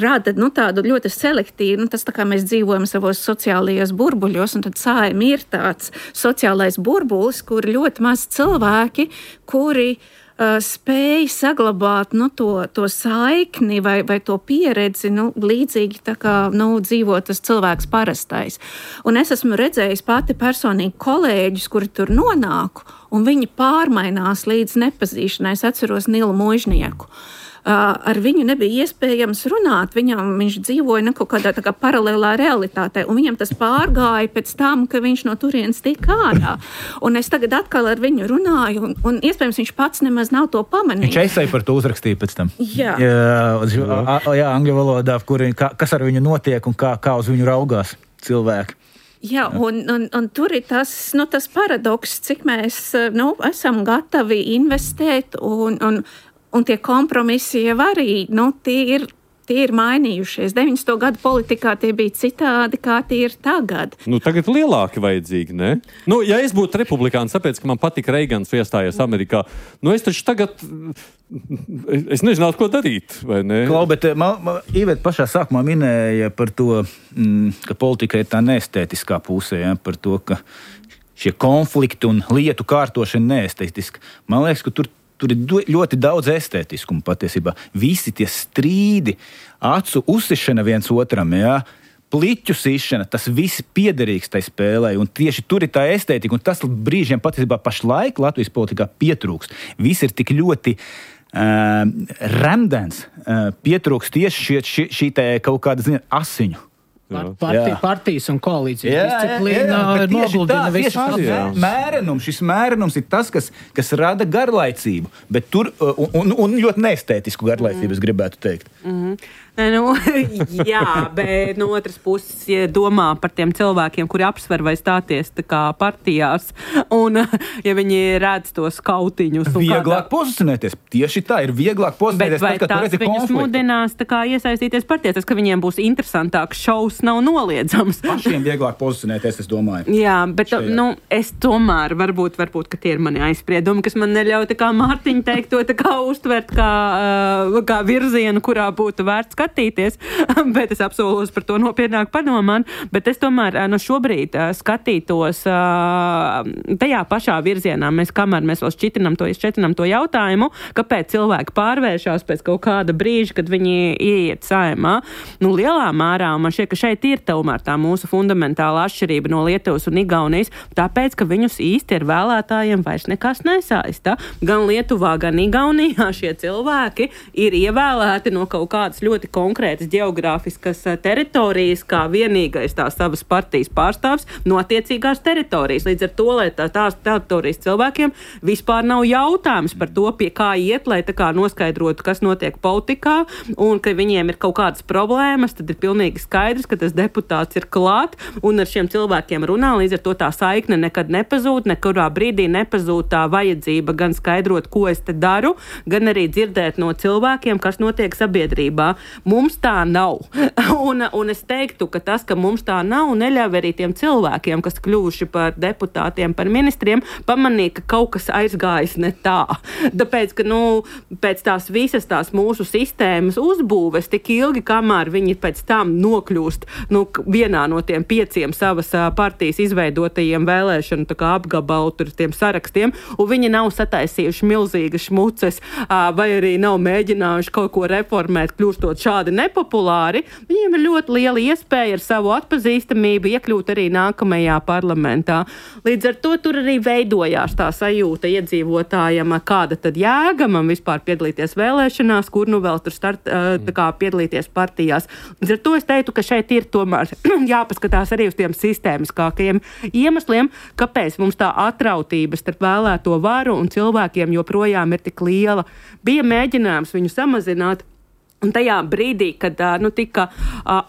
[SPEAKER 6] rada nu, tādu ļoti selektīvu, nu, tas tā kā mēs dzīvojam savos sociālajos burbuļos, un tad Saeima ir tāds sociālais burbulis, kur ļoti maz cilvēki, kuri uh, spēj saglabāt nu, to, to saikni vai, vai to pieredzi, nu, līdzīgi tā kā nu, dzīvo tas cilvēks parastais. Un es esmu redzējis pati personīgi kolēģus, kuri tur nonāku, un viņi pārmainās līdz nepazīšanai. Es atceros Nilu Muižnieku. Uh, ar viņu nebija iespējams runāt, viņam, viņš dzīvoja ne kaut kādā tā kā paralēlā realitātē, un viņam tas pārgāja pēc tam, ka viņš no turienes tika ārā. Un es tagad atkal ar viņu runāju, un, un iespējams viņš pats nemaz nav to pamanījis.
[SPEAKER 5] Viņš esēja par to uzrakstīja pēc tam.
[SPEAKER 6] Jā.
[SPEAKER 5] Jā, jā angļu valodā, kuri, kā, kas ar viņu notiek un kā, kā uz viņu raugās cilvēki.
[SPEAKER 6] Jā, un, un, un tur ir tas, nu, tas paradoks, cik mēs nu, esam gatavi investēt un, un Un tie kompromisi jau arī, nu, tie ir tie ir mainījušies. deviņdesmito gadu politikā tie bija citādi, kā tie ir tagad.
[SPEAKER 2] Nu, tagad lielāki vajadzīgi, ne? Nu, ja es būtu republikāns, tāpēc, ka man patika Reigans iestājies Amerikā, nu es taču tagad, es nezinātu, ko darīt, vai ne?
[SPEAKER 5] Klau, bet man, man, Iveta pašā sākumā minēja par to, mm, ka politika ir tā neestētiskā pusē, ja, par to, ka šie konflikti un lietu kārtošana neestētiska. Man liekas, ka tur Tur ir ļoti daudz estētiskumu patiesībā. Visi tie strīdi, acu uzsišana viens otram, jā, pliķu sišana, tas viss piederīgs tai spēlē. Un tieši tur ir tā estētika, un tas brīžiem patiesībā pašlaik Latvijas politikā pietrūkst. Viss ir tik ļoti uh, remdens, uh, pietrūkst tieši šī, šī, šī te kaut kāda, ziniet, asiņu.
[SPEAKER 4] Partij, partijas un koalīcijas disciplīna noguldina visu
[SPEAKER 5] procesu. Mērenums, šis mērenums ir tas, kas, kas rada garlaicību, bet tur, un, un, un ļoti neestētisku garlaicību, es gribētu teikt.
[SPEAKER 3] Mm-hmm. Nu, jā, bet no otras puses, ja domā par tiem cilvēkiem, kuri apsver vai stāties tā kā partijās, un ja viņi redz tos kautiņus.
[SPEAKER 5] Vieglāk
[SPEAKER 3] kādā...
[SPEAKER 5] pozicionēties. Tieši tā, ir vieglāk pozicionēties.
[SPEAKER 3] Bet vai
[SPEAKER 5] tad,
[SPEAKER 3] tas viņus konfliktu. Mudinās tā kā iesaistīties partijās? Tas, ka viņiem būs interesantāks šovs, nav noliedzams.
[SPEAKER 5] Pašiem vieglāk pozicionēties, es domāju.
[SPEAKER 3] Jā, bet šajā. Nu, es tomēr, varbūt, varbūt, ka tie ir mani aizspriedumi, kas man neļauj tā kā Mārtiņa teikt to tā kā uztvert kā, kā virzienu, kurā būtu vērts skatīties, bet es apsolos par to nopietnāk padomāt, bet es tomēr no šobrīd skatītos tajā pašā virzienā. Mēs kamēr mēs vēl šķitinam to, šķitinam to jautājumu, kāpēc cilvēki pārvēršās pēc kaut kāda brīža, kad viņi ieiet saimā. Nu, lielā mērā, man šķiet, ka šeit ir tomēr tā mūsu fundamentāla atšķirība no Lietuvas un Igaunijas, tāpēc, ka viņus īsti ar vēlētājiem vairs nekas nesaista. Gan Lietuvā, gan Igaunijā šie cilvēki ir ievēlēti no kaut kādas ļoti konkrētas geogrāfiskas teritorijas, kā vienīgais tās savas partijas pārstāvs no attiecīgās teritorijas. Līdz ar to, lai tā, tās teritorijas cilvēkiem vispār nav jautājums par to, pie kā iet, lai tā kā noskaidrotu, kas notiek politikā, un ka viņiem ir kaut kādas problēmas, tad ir pilnīgi skaidrs, ka tas deputāts ir klāt, un ar šiem cilvēkiem runā, līdz ar to tā saikne nekad nepazūd, nekurā brīdī nepazūd tā vajadzība gan skaidrot, ko es te daru, gan arī dzirdēt no cilvēkiem, kas notiek sabiedrībā. Mums tā nav. Un, un es teiktu, ka tas, ka mums tā nav, neļauj arī tiem cilvēkiem, kas kļuvuši par deputātiem, par ministriem, pamanīt, ka kaut kas aizgājis ne tā. Tāpēc, ka, nu, pēc tās visas tās mūsu sistēmas uzbūves tik ilgi, kamēr viņi pēc tam nokļūst, nu, vienā no tiem pieciem savas partijas izveidotajiem vēlēšanu tā kā apgabalu tur tiem sarakstiem, un viņi nav sataisījuši milzīgas šmuces, vai arī nav mēģinājuši kaut ko reformēt, kļūstot šādi nepopulāri, viņiem ir ļoti liela iespēja ar savu atpazīstamību iekļūt arī nākamajā parlamentā. Līdz ar to tur arī veidojās tā sajūta iedzīvotājiem, kāda tad jēga man vispār piedalīties vēlēšanās, kur nu vēl tur start, tā kā piedalīties partijās. Līdz ar to es teiktu, ka šeit ir tomēr jāpaskatās arī uz tiem sistēmiskākajiem iemesliem, kāpēc mums tā atrautība starp vēlēto varu un cilvēkiem joprojām ir tik liela. Bija mēģinājums viņu samazināt. Un tajā brīdī, kad nu, tika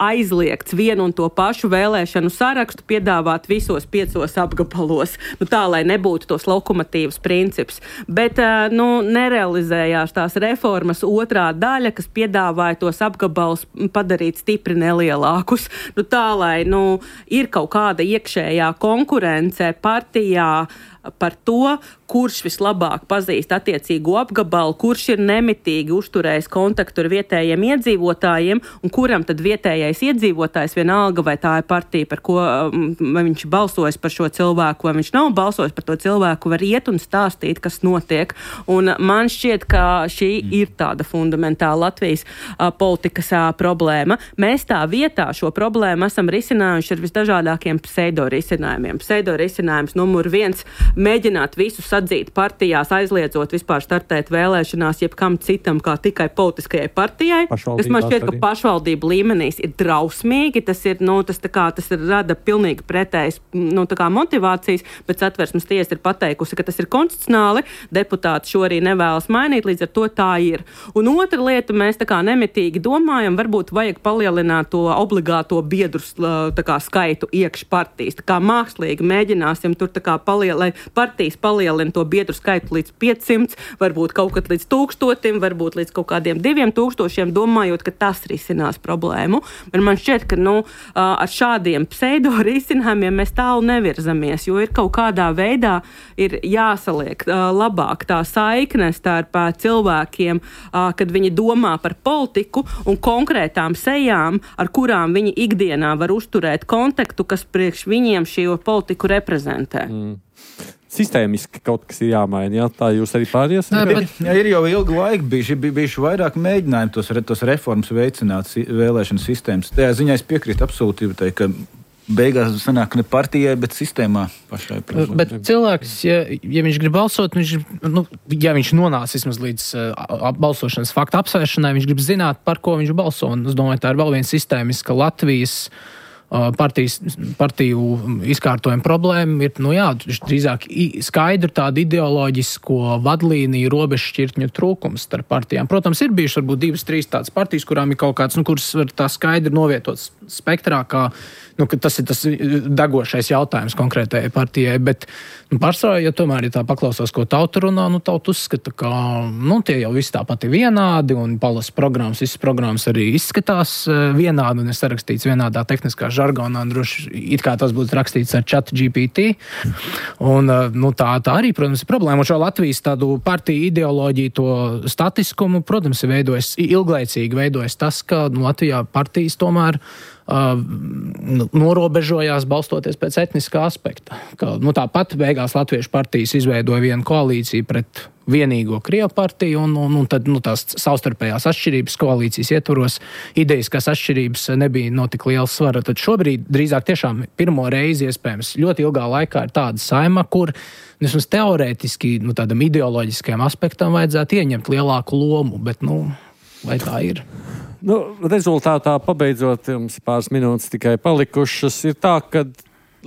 [SPEAKER 3] aizliegts vienu un to pašu vēlēšanu sarakstu piedāvāt visos piecos apgabalos, nu, tā, lai nebūtu tos lokomotīvas princips. Bet nu, nerealizējās tās reformas otrā daļa, kas piedāvāja tos apgabalus padarīt stipri nelielākus. Nu, tā, lai nu, ir kaut kāda iekšējā konkurence partijā par to, kurš vislabāk pazīst attiecīgo apgabalu, kurš ir nemitīgi uzturējis kontaktu ar vietējiem iedzīvotājiem, un kuram tad vietējais iedzīvotājs vienalga, vai tā ir partija, par ko vai viņš balsojas par šo cilvēku, vai viņš nav balsojis par to cilvēku, var iet un stāstīt, kas notiek. Un man šķiet, ka šī ir tāda fundamentāla Latvijas a, politikas a, problēma. Mēs tā vietā šo problēmu esam risinājuši ar visdažādākiem pseido-risinājumiem. Pseido-risinājums numur viens – mēģināt visu sadzīt partijās, aizliedzot vispār startēt vēlēšanās jebkam citam, kā tikai politiskajai partijai. Tas man šķiet, ka pašvaldību līmenīs ir drausmīgi, tas ir, nu, tas tā kā, tas ir rada pilnīgi pretējas, nu, tā kā motivācijas, bet Satversmes tiesa ir pateikusi, ka tas ir konstitucionāli, deputāti šo arī nevēlas mainīt, līdz ar to tā ir. Un otra lieta, mēs tā kā nemitīgi domājam, varbūt vajag palielināt to obligāto biedru tā kā skaitu iekš partijas, tā kā mākslīgi mēģināsim tur tā kā palielināt, partijas palielina to biedru skaitu līdz piecsimts, varbūt kaut kad līdz tūkstotim, varbūt līdz kaut kādiem diviem tūkstošiem, domājot, ka tas risinās problēmu. Bet man šķiet, ka nu, ar šādiem pseido risinājumiem mēs tālu nevirzamies, jo ir kaut kādā veidā ir jāsaliek labāk tā saikne starp cilvēkiem, kad viņi domā par politiku un konkrētām sejām, ar kurām viņi ikdienā var uzturēt kontaktu, kas priekš viņiem šo politiku reprezentē. Mm.
[SPEAKER 2] Sistēmiski kaut kas ir jāmaina, jā? Tā jūs arī pāries?
[SPEAKER 5] Nē, bet... jā, ir jau ilgu laiku bijuši, bijuši vairāk mēģinājumi tos, tos reformas veicināt vēlēšanu sistēmas. Tajā ziņā es piekrītu absolūti, ka beigās sanāk ne partijai, bet sistēmā pašai.
[SPEAKER 4] Bet cilvēks, ja, ja viņš grib balsot, viņš, nu, ja viņš nonāc vismaz līdz uh, balsošanas faktu apsvēršanai, viņš grib zināt, par ko viņš balso. Un es domāju, tā ir vēl viena sistēmiska Latvijas Partijas, partiju izkārtojuma problēma ir, nu jā, drīzāk skaidri tāda ideoloģisko vadlīniju robežšķirtņu trūkums starp partijām. Protams, ir bijuši varbūt divas, trīs tādas partijas, kurām ir kaut kāds, nu, kuras var tā skaidri novietot spektrā, kā, nu, ka tas ir tas degošais jautājums konkrētajai partijai, bet, nu, pārsvarā, ja tomēr, ja tā paklausās, ko tauta runā, nu, tauta uzskata, ka, nu, tie jau visi tāpat ir vienādi, un palas programmas, visas programmas arī izskatās vienādi, un ir sarakstīts vienādā tehniskā žargonā, un droši it kā tas būtu rakstīts ar Chat G P T. Un, nu, tā, tā arī, protams, ir problēma. Un šo Latvijas tādu partiju ideoloģiju, to statiskumu, protams, ir veidojis, ilglaicīgi veidojis tas, ka, nu, Latvijā partijas tomēr Uh, norobežojās balstoties pēc etniskā aspekta. Ka, nu, tāpat beigās Latviešu partijas izveidoja vienu koalīciju pret vienīgo Krievu partiju, un, un, un tad nu, tās savstarpējās atšķirības koalīcijas ietvaros, idejas atšķirības nebija no tik liela svara. Tad šobrīd drīzāk tiešām pirmo reizi iespējams ļoti ilgā laikā ir tāda saima, kur vismaz teorētiski nu, tādam ideoloģiskajam aspektam vajadzētu ieņemt lielāku lomu, bet nu, vai tā ir?
[SPEAKER 2] Nu, rezultātā, pabeidzot, jums pāris minūtes tikai palikušas, ir tā, ka,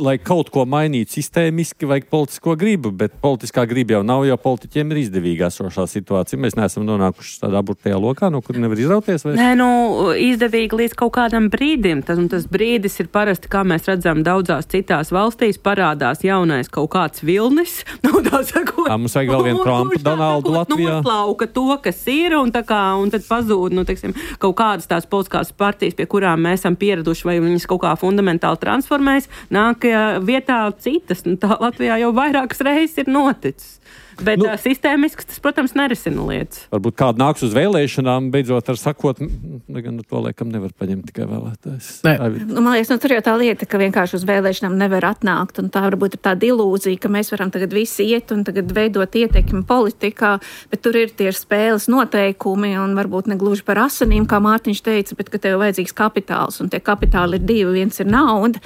[SPEAKER 2] lai kaut ko mainītu sistēmiski, vajag politisko gribu, bet politiskā griba jau nav, jo politiķiem ir izdevīga esošā situācija. Mēs neesam nonākuši tādā burtajā lokā, no kur nevar izrauties. Vai?
[SPEAKER 3] Nē, nu, izdevīgi līdz kaut kādam brīdim. Tas, tas brīdis ir parasti, kā mēs redzam, daudzās citās valstīs parādās jaunais kaut kāds vilnis. Nu, tā sakot,
[SPEAKER 2] tā, mums vajag vēl vienu Trumpu, Donaldu Latvijā.
[SPEAKER 3] Noslauka to, kas ir, un, tā kā, un tad pazūd, nu, teiksim, kaut kādas tās politiskās partijas, pie kurām mēs esam pieraduši, vai viņas kaut kā fundamentāli transformējas, nāk vietā citas. Nu, tā Latvijā jau vairākas reizes ir noticis. Bet nu, sistēmiski tas, protams, nerisina lietas.
[SPEAKER 2] Varbūt kāda nāks uz vēlēšanām, beidzot ar sakot, gan nu, to laikam nevar paņemt tikai vēlētājs.
[SPEAKER 6] Nu, man liekas, nu, tur jau tā lieta, ka vienkārši uz vēlēšanām nevar atnākt, un tā varbūt ir tāda ilūzija, ka mēs varam tagad visi iet un tagad veidot ietekmi politikā, bet tur ir tie spēles noteikumi, un varbūt ne gluži par asinīm, kā Mārtiņš teica, bet ka tev vajadzīgs kapitāls, un tie kapitāli ir divi, viens ir nauda,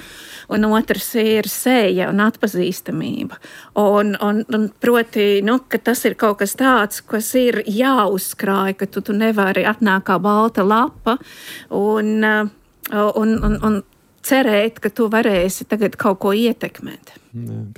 [SPEAKER 6] un otrs ir seja un atpazīstamība. Un, un, un proti, nu, ka tas ir kaut kas tāds, kas ir jāuzkrāj, ka tu, tu nevari atnākt kā balta lapa un, un, un, un cerēt, ka tu varēsi tagad kaut ko ietekmēt.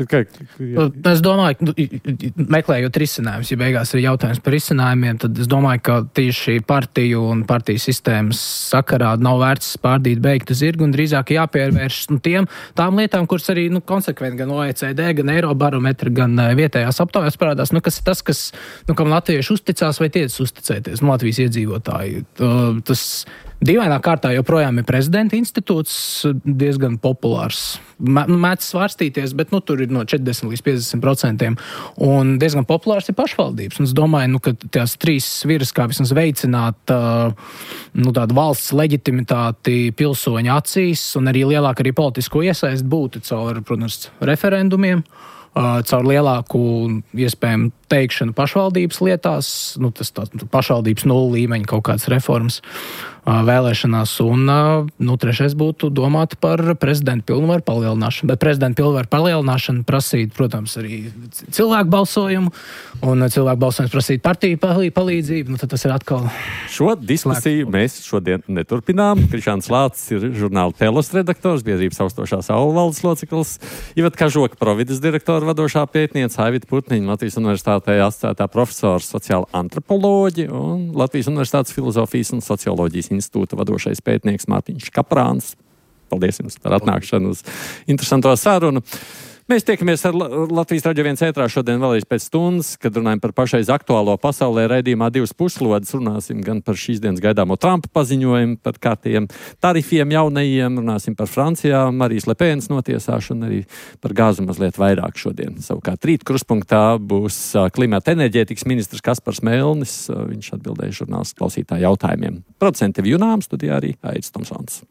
[SPEAKER 2] Kā,
[SPEAKER 4] jā. Es domāju, ka meklējot risinājumus, ja beigās ir jautājums par risinājumiem, tad es domāju, ka tieši partiju un partiju sistēmas sakarā nav vērts pārdīt beigtu zirgu un drīzāk jāpievērš nu, tiem, tām lietām, kuras arī nu, konsekventi gan O E C D, gan Eirobarometra, gan vietējās aptaujās parādās, nu, kas ir tas, kas, nu, kam latvieši uzticās vai tiec uzticēties, nu, Latvijas iedzīvotāji. Tas dīvainā kārtā joprojām ir prezidenta institūts, diezgan populārs. Mēdz svārstīties, bet nu, tur ir no četrdesmit līdz piecdesmit procentiem. Un diezgan populārs ir pašvaldības. Un es domāju, nu, ka tās trīs sviras, kā vismaz veicināt uh, nu, tādu valsts leģitimitāti pilsoņu acīs un arī lielāku arī politisko iesaist būtu caur, protams, referendumiem, uh, caur lielāku iespējamu teikšanu pašvaldības lietās, nu, tas tā, pašvaldības nulli līmeņa kaut kādas reformas vēlēšanās, un nu, trešais būtu domāt par prezidenta pilnvaru palielināšanu. Bet prezidenta pilnvaru palielināšanu prasīt, protams, arī cilvēku balsojumu, un cilvēku balsojums prasīt partiju palīdzību, nu tad tas ir atkal...
[SPEAKER 2] Šo diskusiju slēgt. Mēs šodien neturpinām. Krišāns Lācis ir žurnāla Telos redaktors, biedrības austošā saula valdes loceklis, Iveta Kažoka, Provides direktora vadošā pētniece, Aivita Putniņa, Latvijas universitātē asociētā profesors sociāla antropoloģi un Latvijas universitātes filozofijas un socioloģijas institūta vadošais pētnieks Mārtiņš Kaprāns. Paldies jums par atnākšanu uz interesanto sarunu. Mēs tiekamies ar Latvijas Radio viens ētrā šodien vēlreiz pēc stundas, kad runājam par pašreiz aktuālo pasaulē raidījumā divas puslodes. Runāsim gan par šīs dienas gaidāmo Trumpa paziņojumu, par kārtiem tarifiem jaunajiem, runāsim par Francijā, Marijas Lepēnas notiesāšanu, arī par gāzu mazliet vairāk šodien. Savukārt rīt kruspunktā būs klimata enerģētikas ministrs Kaspars Melnis. Viņš atbildēja žurnālistu klausītāju jautājumiem. Producente Vjunām, studijā arī Aidis Tomsons.